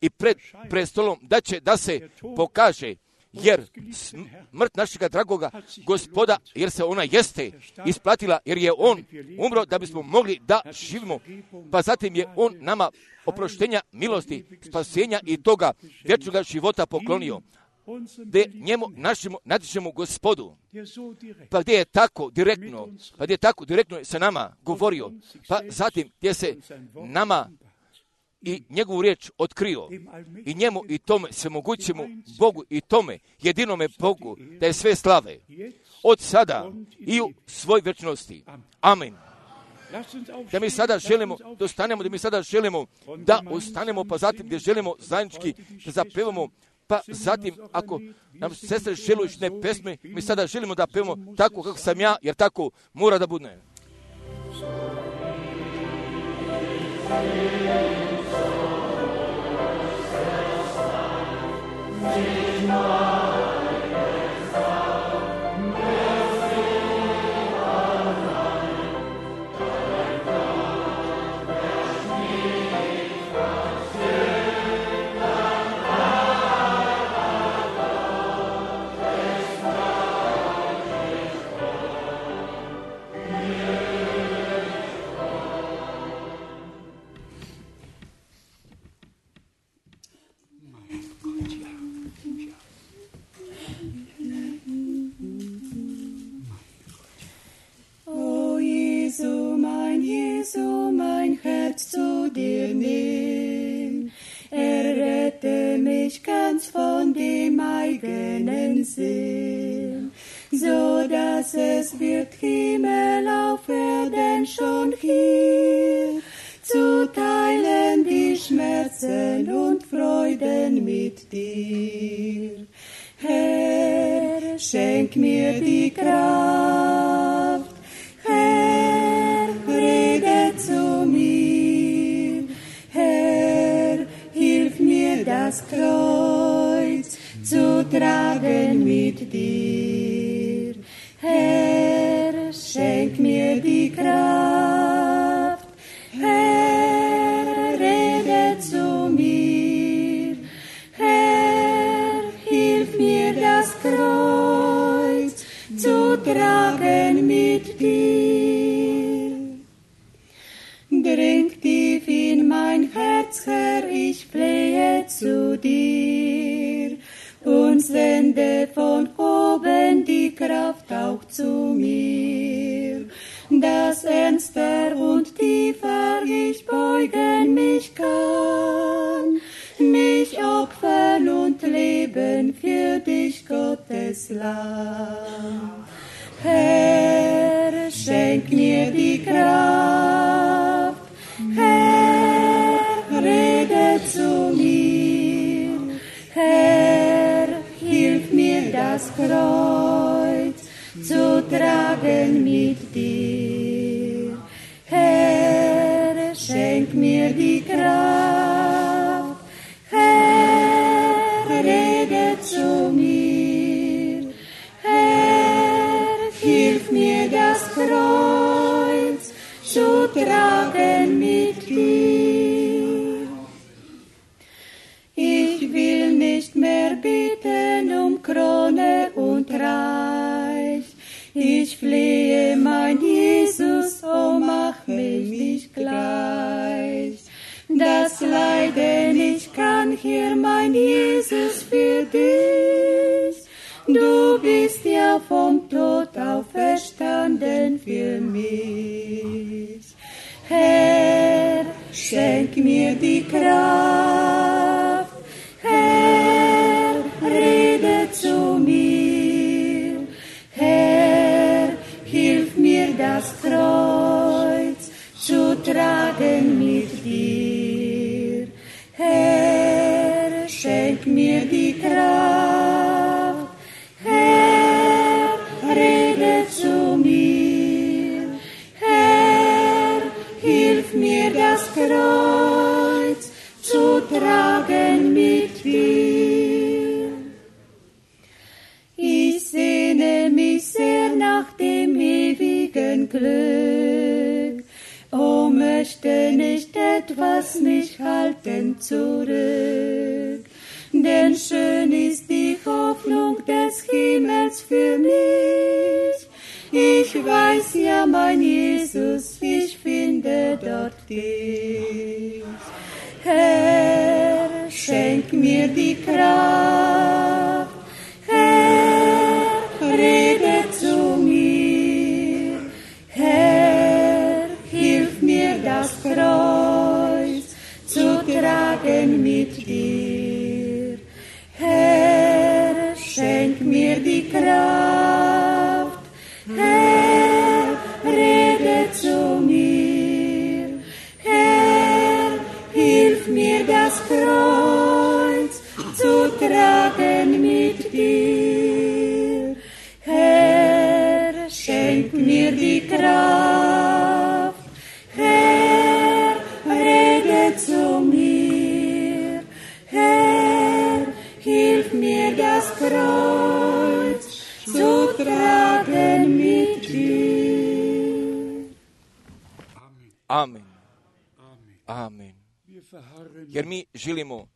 i pred prestolom da će da se pokaže, jer smrt našega dragoga Gospoda, jer se ona jeste isplatila, jer je on umro da bismo mogli da živimo, pa zatim je on nama oproštenja, milosti, spasenja i toga vječnoga života poklonio, gdje njemu, našemu, nadišemu Gospodu, pa gdje je tako direktno, pa gdje je tako direktno sa nama govorio, pa zatim gdje se nama i njegovu riječ otkrio i njemu i tome svemogućemu Bogu i tome jedinome Bogu da je sve slave od sada i u svoj vječnosti. Amen. Da mi sada želimo da ustanemo, da mi sada želimo da ustanemo, pa zatim gdje želimo zajednički da zapevamo, pa zatim ako nam sestre žele išne pesme, mi sada želimo da pevamo tako kako sam ja, jer tako mora da bude. Jesu, mein Herz zu dir nimm. Errette mich ganz von dem eigenen Sinn, so dass es wird Himmel auf Erden schon hier, zu teilen die Schmerzen und Freuden mit dir. Herr, schenk mir die Kraft, Herr, rede zu mir, Herr, hilf mir das Kreuz zu tragen mit dir. Herr, schenk mir die Kraft, Herr, rede zu mir, Herr, hilf mir das Kreuz zu tragen mit dir. Dring tief in mein Herz, Herr, ich flehe zu dir und sende von oben die Kraft auch zu mir, dass ernster und tiefer ich beugen mich kann, mich opfern und leben für dich, Gottes Lamm. Herr, schenk mir die Kraft, Herr, rede zu mir, Herr, hilf mir das Kreuz zu tragen mit dir. Herr, schenk mir die Kraft, Herr, rede zu mir, Herr, Herr, mein Jesus, für dich. Du bist ja vom Tod auferstanden für mich. Herr, schenk mir die Kraft. Herr, rede zu mir. Herr, hilf mir das Kreuz zu tragen mit dir. Herr, schenk mir die Kraft. Herr, rede zu mir. Herr, hilf mir das Kreuz zu tragen mit dir. Ich sehne mich sehr nach dem ewigen Glück. Oh, möchte nicht etwas mich halten zurück. Denn schön ist die Hoffnung des Himmels für mich. Ich weiß ja, mein Jesus, ich finde dort dich. Herr, schenk mir die Kraft. Herr, rede zu mir. Herr, hilf mir das Kreuz zu tragen mit dir. Herr, schenk mir die Kraft. Herr, rede zu mir. Herr, hilf mir das Kreuz zu tragen mit dir. Herr, schenk mir die Kraft. Herr, rede zu mir. Herr, hilf mir das Kreuz zu tragen mit dir. Amen. Amen. Jer mi želimo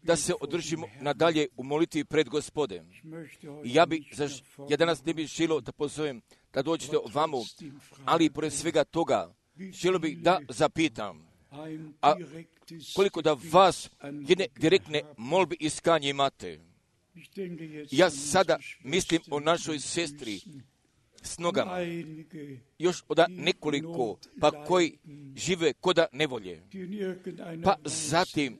da se održimo nadalje u molitvi pred Gospodem. I ja, bi, ja danas ne bih želio da pozovem da dođete ovamo, ali pored svega toga želio bih da zapitam, a koliko da vas jedne direktne molbe i iskanje imate. Ja sada mislim o našoj sestri s nogama, još od nekoliko, pa koji žive koda nevolje. Pa zatim,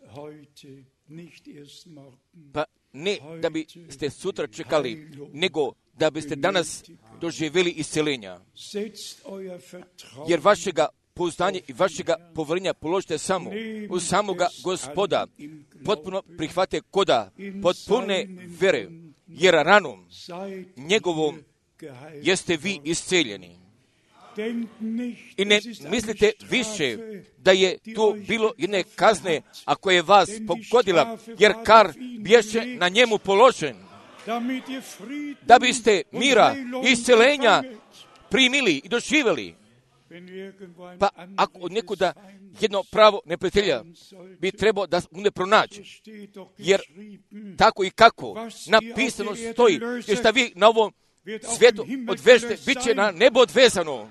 pa ne da biste sutra čekali, nego da biste danas doživjeli isceljenja. Jer vašega pouzdanja i vašega poverenja položite samo u samoga Gospoda. Potpuno prihvate koda potpune vere, jer ranom njegovom jeste vi isceljeni. I ne mislite više da je tu bilo jedne kazne, ako je vas pogodila, jer kar bješe na njemu položen, da biste mira i isceljenja primili i doživjeli. Pa ako od nekuda jedno pravo neprijatelja bi trebao da mu ne pronađe, jer tako i kako napisano stoji, jer šta vi na ovom svijetu odvežete, bit će na nebo odvezano.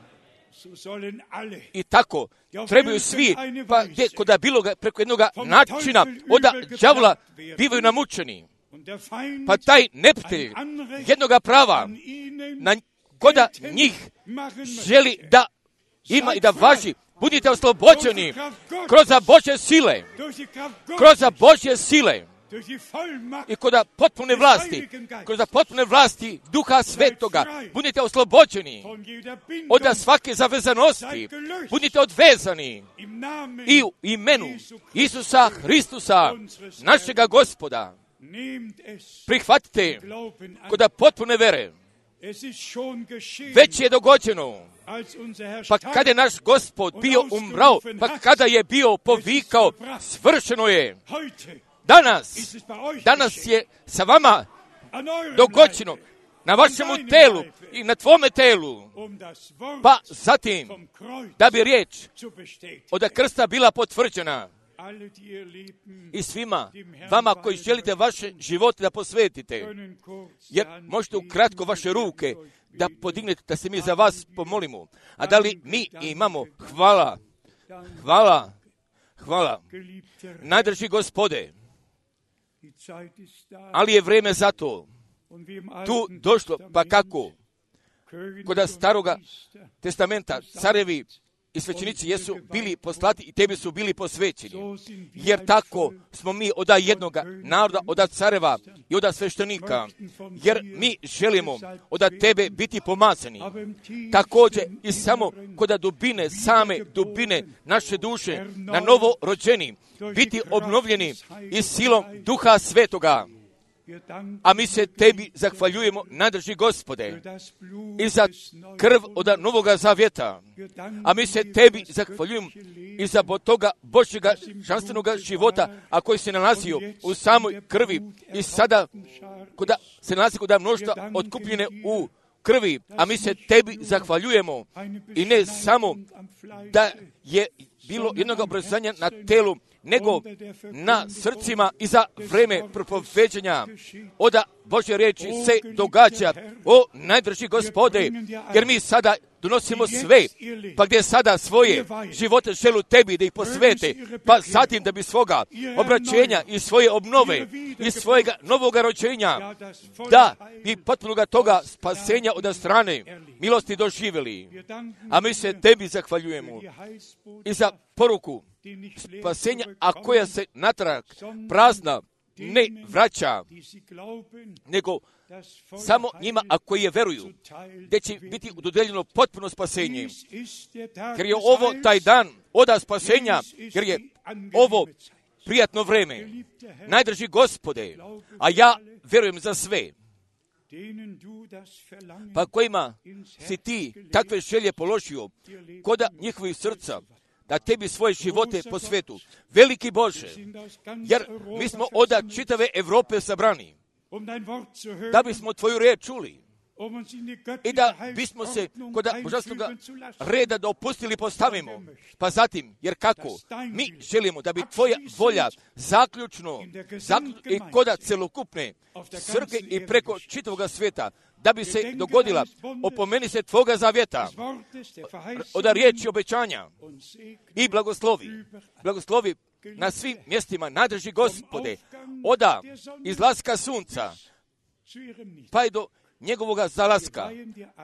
I tako trebaju svi, pa gdje koda bilo ga preko jednog načina oda đavola bivaju namučeni. Pa taj neprijatelj jednoga prava na koda njih želi da ima i da važi. Budite oslobođeni kroz Božje sile, kroz Božje sile i kod potpune vlasti, kroz potpune vlasti Duha Svetoga. Budite oslobođeni od svake zavezanosti, budite odvezani i u imenu Isusa Hristusa, našega Gospoda. Prihvatite kod potpune vere. Već je dogođeno. Pa kada je naš Gospod bio umrao, pa kada je bio povikao, svršeno je. Danas, danas je sa vama dogođeno na vašemu telu i na tvome telu. Pa zatim, da bi riječ od krsta bila potvrđena. I svima vama koji želite vaše živote da posvetite, jer možete ukratko vaše ruke da podignete, da se mi za vas pomolimo. A da li mi imamo? Hvala, hvala, hvala. Najdrži Gospode, ali je vrijeme za to tu došlo, pa kako? Kod staroga testamenta carevi i svećenici jesu bili poslati i tebi su bili posvećeni. Jer tako smo mi od jednoga naroda, od careva i od sveštenika. Jer mi želimo od tebe biti pomazani. Također i samo kod dubine, same dubine naše duše, na novo rođeni, biti obnovljeni i silom Duha Svetoga. A mi se tebi zahvaljujemo, najdrži Gospode, i za krv od Novoga Zavjeta. A mi se tebi zahvaljujemo i za toga Božjega šanstvenoga života, a koji se nalazio u samoj krvi i sada koda se nalazi kod mnoštva otkupljene u krvi. A mi se tebi zahvaljujemo i ne samo da je bilo jednog obrazovanja na telu, nego na srcima i za vreme propoveđanja oda Božje riječi se događa. O najdrži Gospode, jer mi sada donosimo sve, pa gdje sada svoje živote želu tebi da ih posvete, pa zatim da bi svoga obraćenja i svoje obnove i svojega novoga rođenja, da bi potpunoga toga spasenja od strane milosti doživjeli. A mi se tebi zahvaljujemo i za poruku spasenja, a koja se natrag prazna ne vraća, nego samo njima, a koji je veruju, gdje će biti dodeljeno potpuno spasenje. Jer je ovo taj dan oda spasenja, jer je ovo prijatno vreme. Najdrži Gospode, a ja verujem za sve, pa kojima si ti takve želje položio koda njihovih srca, da tebi svoje živote po svetu. Veliki Bože, jer mi smo od čitave Evrope sabrani, da bismo tvoju riječ čuli i da bismo se kod božanskog reda da opustili postavimo. Pa zatim, jer kako? Mi želimo da bi tvoja volja zaključno, zaključno i koda celokupne crkve i preko čitavog svijeta, da bi se dogodila, opomeni se tvoga zavjeta, od riječi obećanja i blagoslovi, blagoslovi na svim mjestima, nadrži Gospode, oda izlaska sunca, pa i do njegovoga zalaska,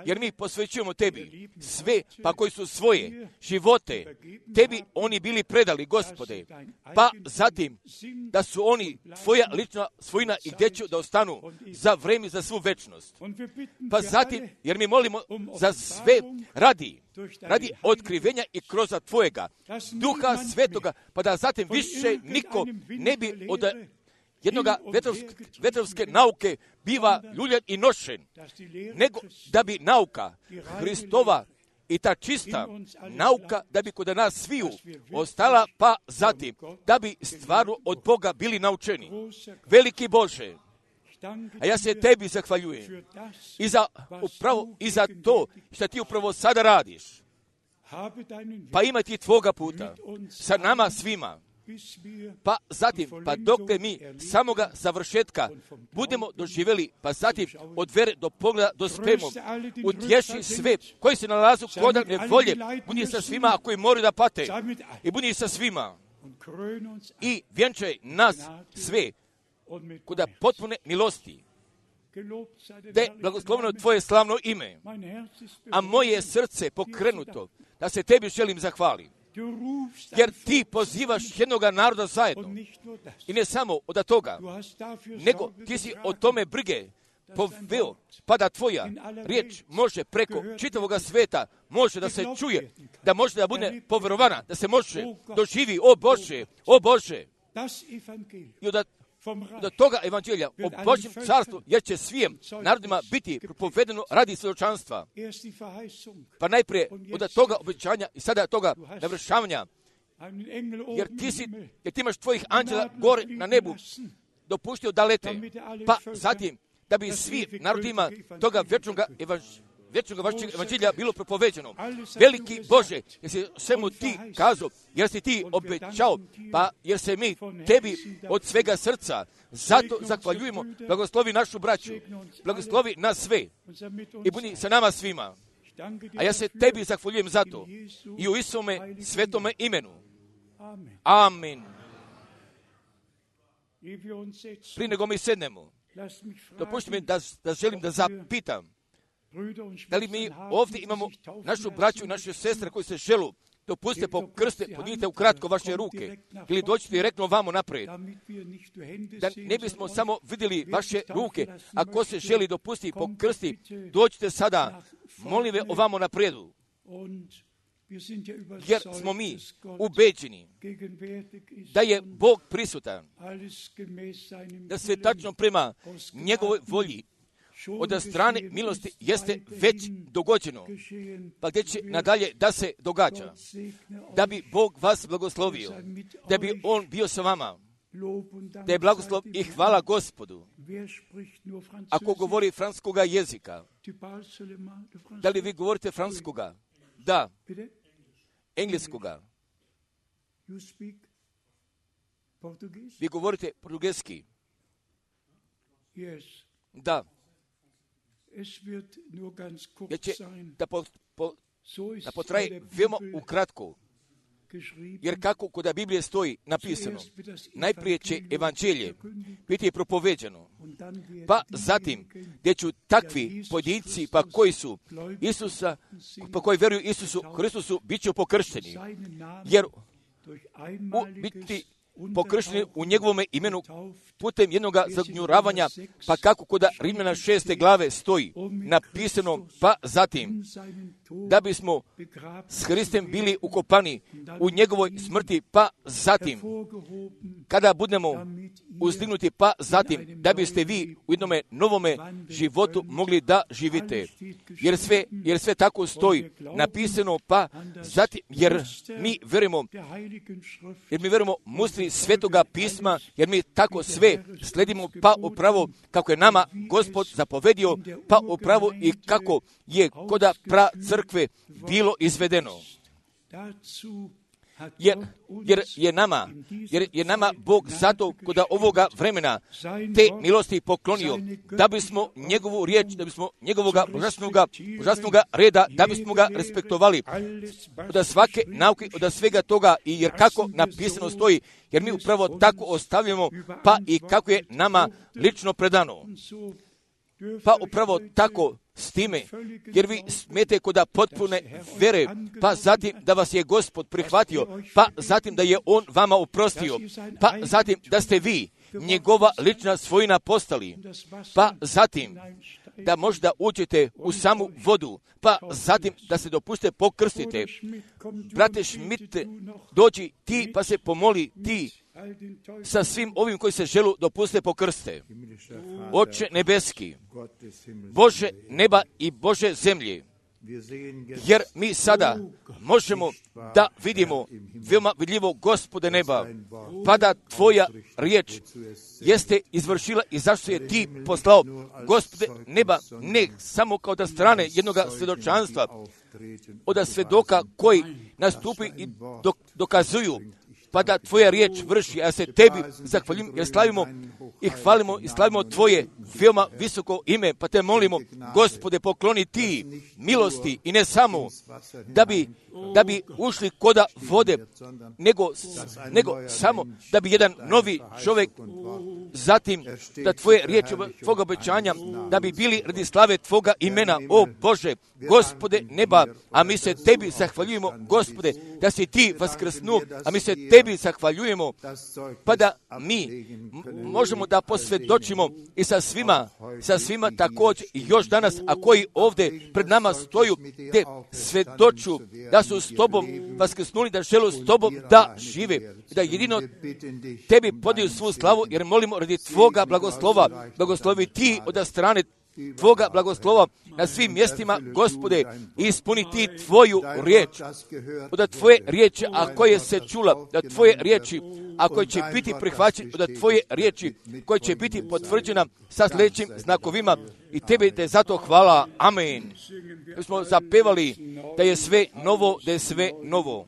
jer mi posvećujemo tebi sve, pa koji su svoje živote tebi oni bili predali, Gospode, pa zatim da su oni tvoja lična svojina i gdje će da ostanu za vrijeme, za svu večnost. Pa zatim, jer mi molimo za sve radi, radi otkrivenja i kroz tvojega Duha Svetoga, pa da zatim više niko ne bi od jednoga vetrovske, vetrovske nauke biva ljuljan i nošen, nego da bi nauka Hristova i ta čista nauka, da bi kod nas sviju ostala, pa zatim da bi stvarno od Boga bili naučeni. Veliki Bože, a ja se tebi zahvaljujem i za, upravo, i za to što ti upravo sada radiš. Pa ima ti tvoga puta sa nama svima. Pa zatim, pa dok mi samoga završetka budemo doživjeli, pa zatim od vere do pogleda dospemo, utješi sve koji se nalazu kod nevolje, budi sa svima koji moraju da pate i budi sa svima i vjenčaj nas sve kod potpune milosti. Da je blagosloveno tvoje slavno ime, a moje srce pokrenuto da se tebi želim zahvaliti. Jer ti pozivaš jednoga naroda zajedno. I ne samo od toga, nego ti si o tome brige poveo, pa da tvoja riječ može preko čitavoga sveta, može da se čuje, da može da bude povjerovana, da se može doživi, o Bože, o Bože. I od do toga evanđelja o Božjem carstvu, jer će svim narodima biti propovedeno radi svjedočanstva. Pa najprije od toga obećanja i sada toga navršavanja, jer ti, si, jer ti imaš tvojih anđela gore na nebu dopuštio da lete, pa zatim da bi svi narodima toga vječnog evanđelja vječnog vašeg evanđelja bilo propoveđeno. Veliki Bože, jer si svemu ti kazao, jer si ti obećao, pa jer se mi tebi od svega srca zato zahvaljujemo. Blagoslovi našu braću, blagoslovi nas sve i budi sa nama svima. A ja se tebi zahvaljujem za to i u Isome svetome imenu. Amen. Prije nego mi sednemo, dopušti mi da, da želim da zapitam, da li mi ovdje imamo našu braću i naše sestre koji se želu dopustite pokrste, podignite ukratko vaše ruke ili dođite direktno vamo naprijed, da ne bismo samo vidjeli vaše ruke. Ako se želi dopustiti pokrsti, dođite sada, molim ve ovamo naprijedu, jer smo mi ubeđeni da je Bog prisutan, da sve tačno prema njegovoj volji od strane milosti jeste već dogođeno, pa gdje će nadalje da se događa, da bi Bog vas blagoslovio, da bi On bio sa vama, da je blagoslov i hvala Gospodu. Ako govori francuskoga jezika, da li vi govorite francuskoga? Da. Engleskoga? Vi govorite portugeski? Da. Ja će da, po, po, da potraje veoma ukratko, jer kako kod Biblije stoji napisano, najprije će evanđelje biti propoveđeno, pa zatim gdje ću takvi pojedinci pa koji su Isusa, pa koji vjeruju Isusu Hristusu, bit će pokršteni, jer u biti pokršteni u njegovome imenu putem jednog zagnjuravanja, pa kako kod Rimljana šeste glave stoji napisano, pa zatim da bismo s Hristem bili ukopani u njegovoj smrti, pa zatim kada budemo uzdignuti, pa zatim da biste vi u jednome novome životu mogli da živite, jer sve, jer sve tako stoji napisano, pa zatim, jer mi verujemo, jer mi verujemo mustri Svetoga pisma, jer mi tako sve sledimo, pa upravo kako je nama Gospod zapovedio, pa upravo i kako je koda pra crkve bilo izvedeno. Jer, jer je nama, jer je nama Bog zato kod ovoga vremena te milosti poklonio, da bismo njegovu riječ, da bismo njegovoga božanstvenoga, božanstvenoga reda, da bismo ga respektovali od svake nauke, od svega toga, i jer kako napisano stoji, jer mi upravo tako ostavljamo, pa i kako je nama lično predano. Pa upravo tako s time, jer vi smete koda potpune vere, pa zatim da vas je Gospod prihvatio, pa zatim da je On vama oprostio, pa zatim da ste vi njegova lična svojina postali, pa zatim da možda uđete u samu vodu, pa zatim da se dopuste pokrstite. Brate Schmidt, dođi ti pa se pomoli ti sa svim ovim koji se želu dopuste pokrste. Oče nebeski, Bože neba i Bože zemlje, jer mi sada možemo da vidimo veoma vidljivo, Gospode neba, pa da Tvoja riječ jeste izvršila i zašto je Ti poslao, Gospode neba, ne samo kao da strane jednog svjedočanstva, od svedoka koji nastupi i dokazuju, pa da Tvoja riječ vrši. Ja se Tebi zahvaljujem, jer slavimo i hvalimo i slavimo Tvoje veoma visoko ime, pa Te molimo, Gospode, pokloni Ti milosti, i ne samo da bi, da bi ušli koda vode, nego, nego samo da bi jedan novi čovjek, zatim da Tvoje riječi, Tvoga obećanja, da bi bili radi slave Tvoga imena, o Bože, Gospode neba, a mi se Tebi zahvaljujemo, Gospode, da si Ti vaskrsnuo, a mi se Tebi zahvaljujemo, pa da mi možemo da posvjedočimo i sa svima, sa svima također i još danas, a koji ovdje pred nama stoju, te svjedoču da su s Tobom vaskrsnuli, da žele s Tobom da žive, da jedino Tebi podiju svu slavu, jer molimo radi Tvoga blagoslova, blagoslovi Ti od strane Tvoga blagoslova na svim mjestima, Gospode, i ispuni Ti Tvoju riječ, od Tvoje riječi, a koje se čula, da Tvoje riječi, a koje će biti prihvaćene, od Tvoje riječi, koje će biti potvrđena sa sljedećim znakovima, i Tebi te zato hvala. Amen. Mi smo zapevali da je sve novo, da je sve novo.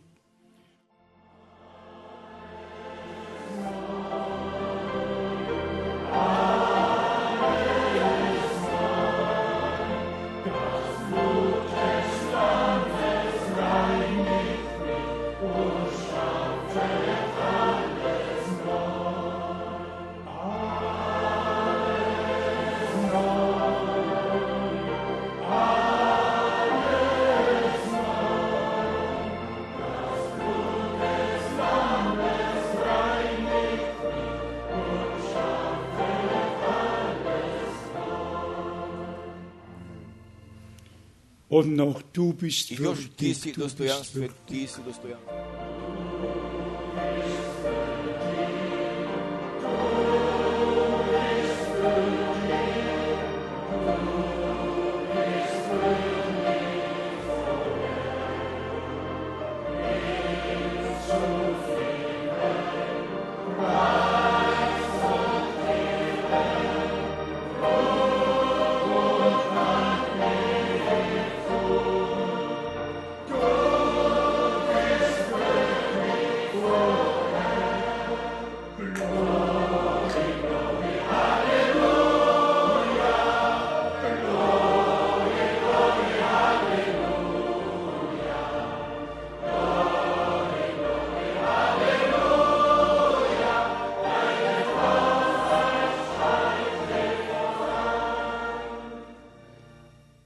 Und noch du bist I još ti würdig, si du bist dostojanstven, würdig. ti si dostojanstven.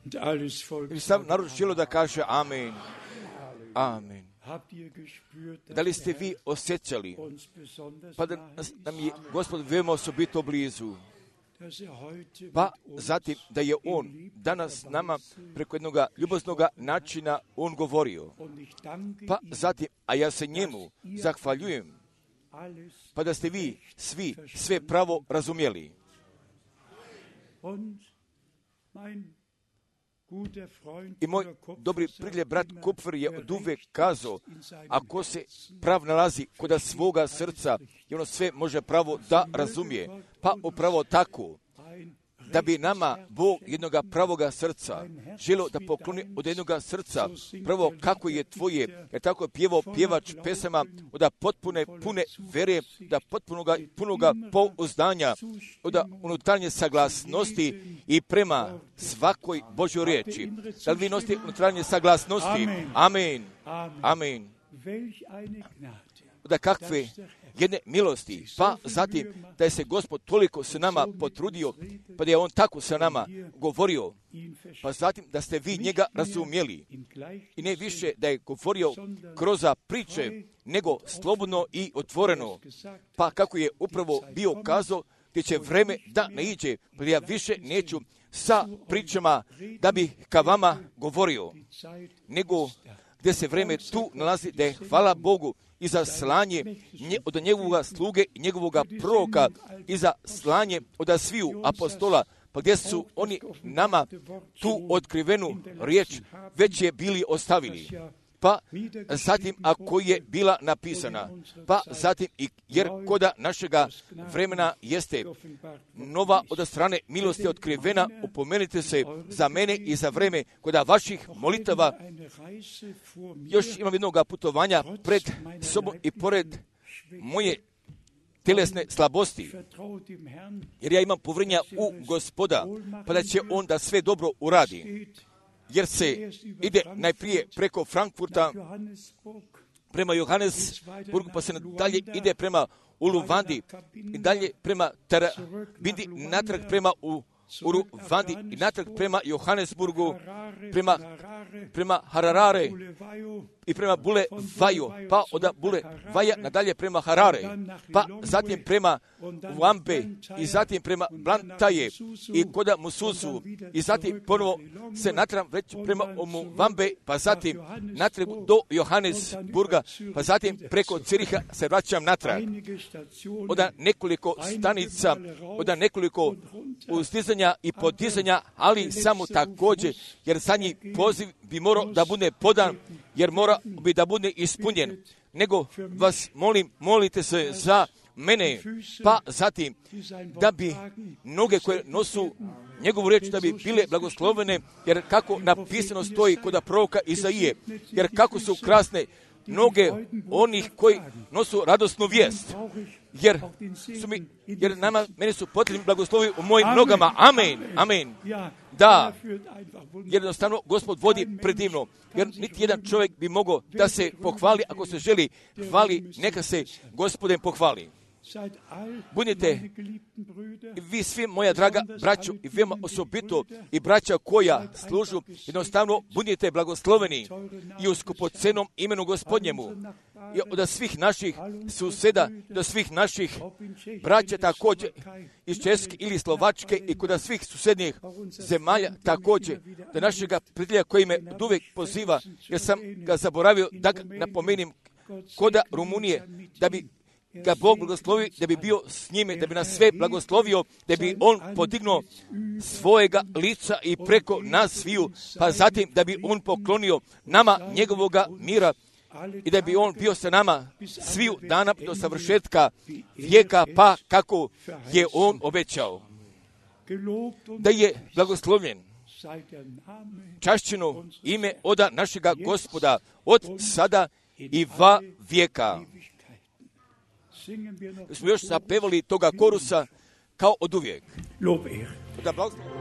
Und alles Volk I sam narod želo da kaže amen. Amen. habt ihr gespürt, Da dass li ste der vi Herr osjećali uns besonders pa da nahe nas- ist, nam je Gospod veoma osobito blizu? dass er heute Pa mit uns zatim da je in On liebender danas nama Weise preko jednog ljubaznog načina On govorio. und ich danke Pa ihm, zatim, a ja se njemu zahvaljujem, alles pa da ste vi svi sve pravo razumjeli. und mein guter Freund I moj Bruder Kupfer dobri sagt prijatelj brat immer, Kupfer je wer oduvek recht kazao, ist in seinem ako se Herzen, prav nalazi kod svoga srca i ono sve može pravo da razumije, pa upravo tako, ein da bi nama Bog jednoga pravoga srca želio da pokloni od jednoga srca, prvo kako je tvoje, jer tako je pjevao pjevač pesama, od potpune, pune vere, da potpunoga, punoga pouzdanja, od unutarnje saglasnosti i prema svakoj Božoj riječi. Da li vi nosite unutarnje saglasnosti? Amen. Amen. welch eine Gnade, Da kakve jedne milosti, pa zatim da je se Gospod toliko se nama potrudio, pa da je On tako sa nama govorio, ihn pa zatim da ste vi njega razumjeli in i ne više da je govorio kroz priče, nego slobodno i otvoreno, pa kako je upravo bio kazao, gdje će vreme da ne iđe, pa ja više neću sa pričama da bi ka vama govorio, nego gdje se vreme tu nalazi, da je hvala Bogu i za slanje nje, od njegovog sluge i njegovog proroka i za slanje od sviju apostola, pa gdje su oni nama tu otkrivenu riječ već je bili ostavili. Pa zatim ako je bila napisana, pa zatim i jer koda našega vremena jeste nova od strane milosti otkrivena, upomenite se za mene i za vreme koda vaših molitava. Još imam jednog putovanja pred sobom i pored moje tjelesne slabosti, jer ja imam povjerenja u Gospoda, pa da će On da sve dobro uradi. Jer se ide najprije preko Frankfurta prema Johannesburgu, pa se dalje ide prema Uluvandi i dalje prema Tarabindi, natrag prema u Uruvandi i natrag prema Johannesburgu, prema, prema Harare i prema Bulevaju, pa od Bulevaja nadalje prema Harare, pa zatim prema Uambe i zatim prema Blantaje i koda Mususu i zatim ponovo se natrag već prema Uambe, pa zatim natrag do Johannesburga, pa zatim preko Ciriha se vraćam natrag. Od nekoliko stanica, od nekoliko uzdizanja i podizanja, ali samo također, jer zadnji poziv bi morao da bude podan, jer mora bi da bude ispunjen. Nego vas molim, molite se za mene, pa zatim da bi noge koje nosu njegovu riječ da bi bile blagoslovene, jer kako napisano stoji kod proroka Izaije, jer kako su krasne noge onih koji nosu radosnu vijest, jer su mi, jer nama, meni su potrebni blagoslovi u mojim nogama. Amen, amen. Da, jednostavno Gospod vodi predivno, jer niti jedan čovjek bi mogao da se pohvali, ako se želi hvali, neka se Gospodem pohvali. Budite vi svi, moja draga braćo, i veoma osobito i braća koja služu, jednostavno budite blagosloveni i u skupocenom imenu Gospodnjemu. I od svih naših suseda, do svih naših braća također iz Česke ili Slovačke i kod svih susednjih zemalja također, da našega prijatelja koji me od uvijek poziva, jer sam ga zaboravio da ga napomenim koda Rumunije, da bi ga Bog blagoslovio, da bi bio s njime, da bi nas sve blagoslovio, da bi on podignuo svojega lica i preko nas sviju, pa zatim da bi on poklonio nama njegovoga mira i da bi on bio sa nama sviju dana do savršetka vijeka, pa kako je on obećao. Da je blagoslovljen, čašćeno ime oda našega Gospoda od sada i va vijeka. Smo još zapevali toga korusa kao od uvijek. Da blagoslovimo.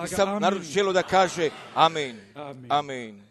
Sam narod želo da kaže amen. Amen. Amen.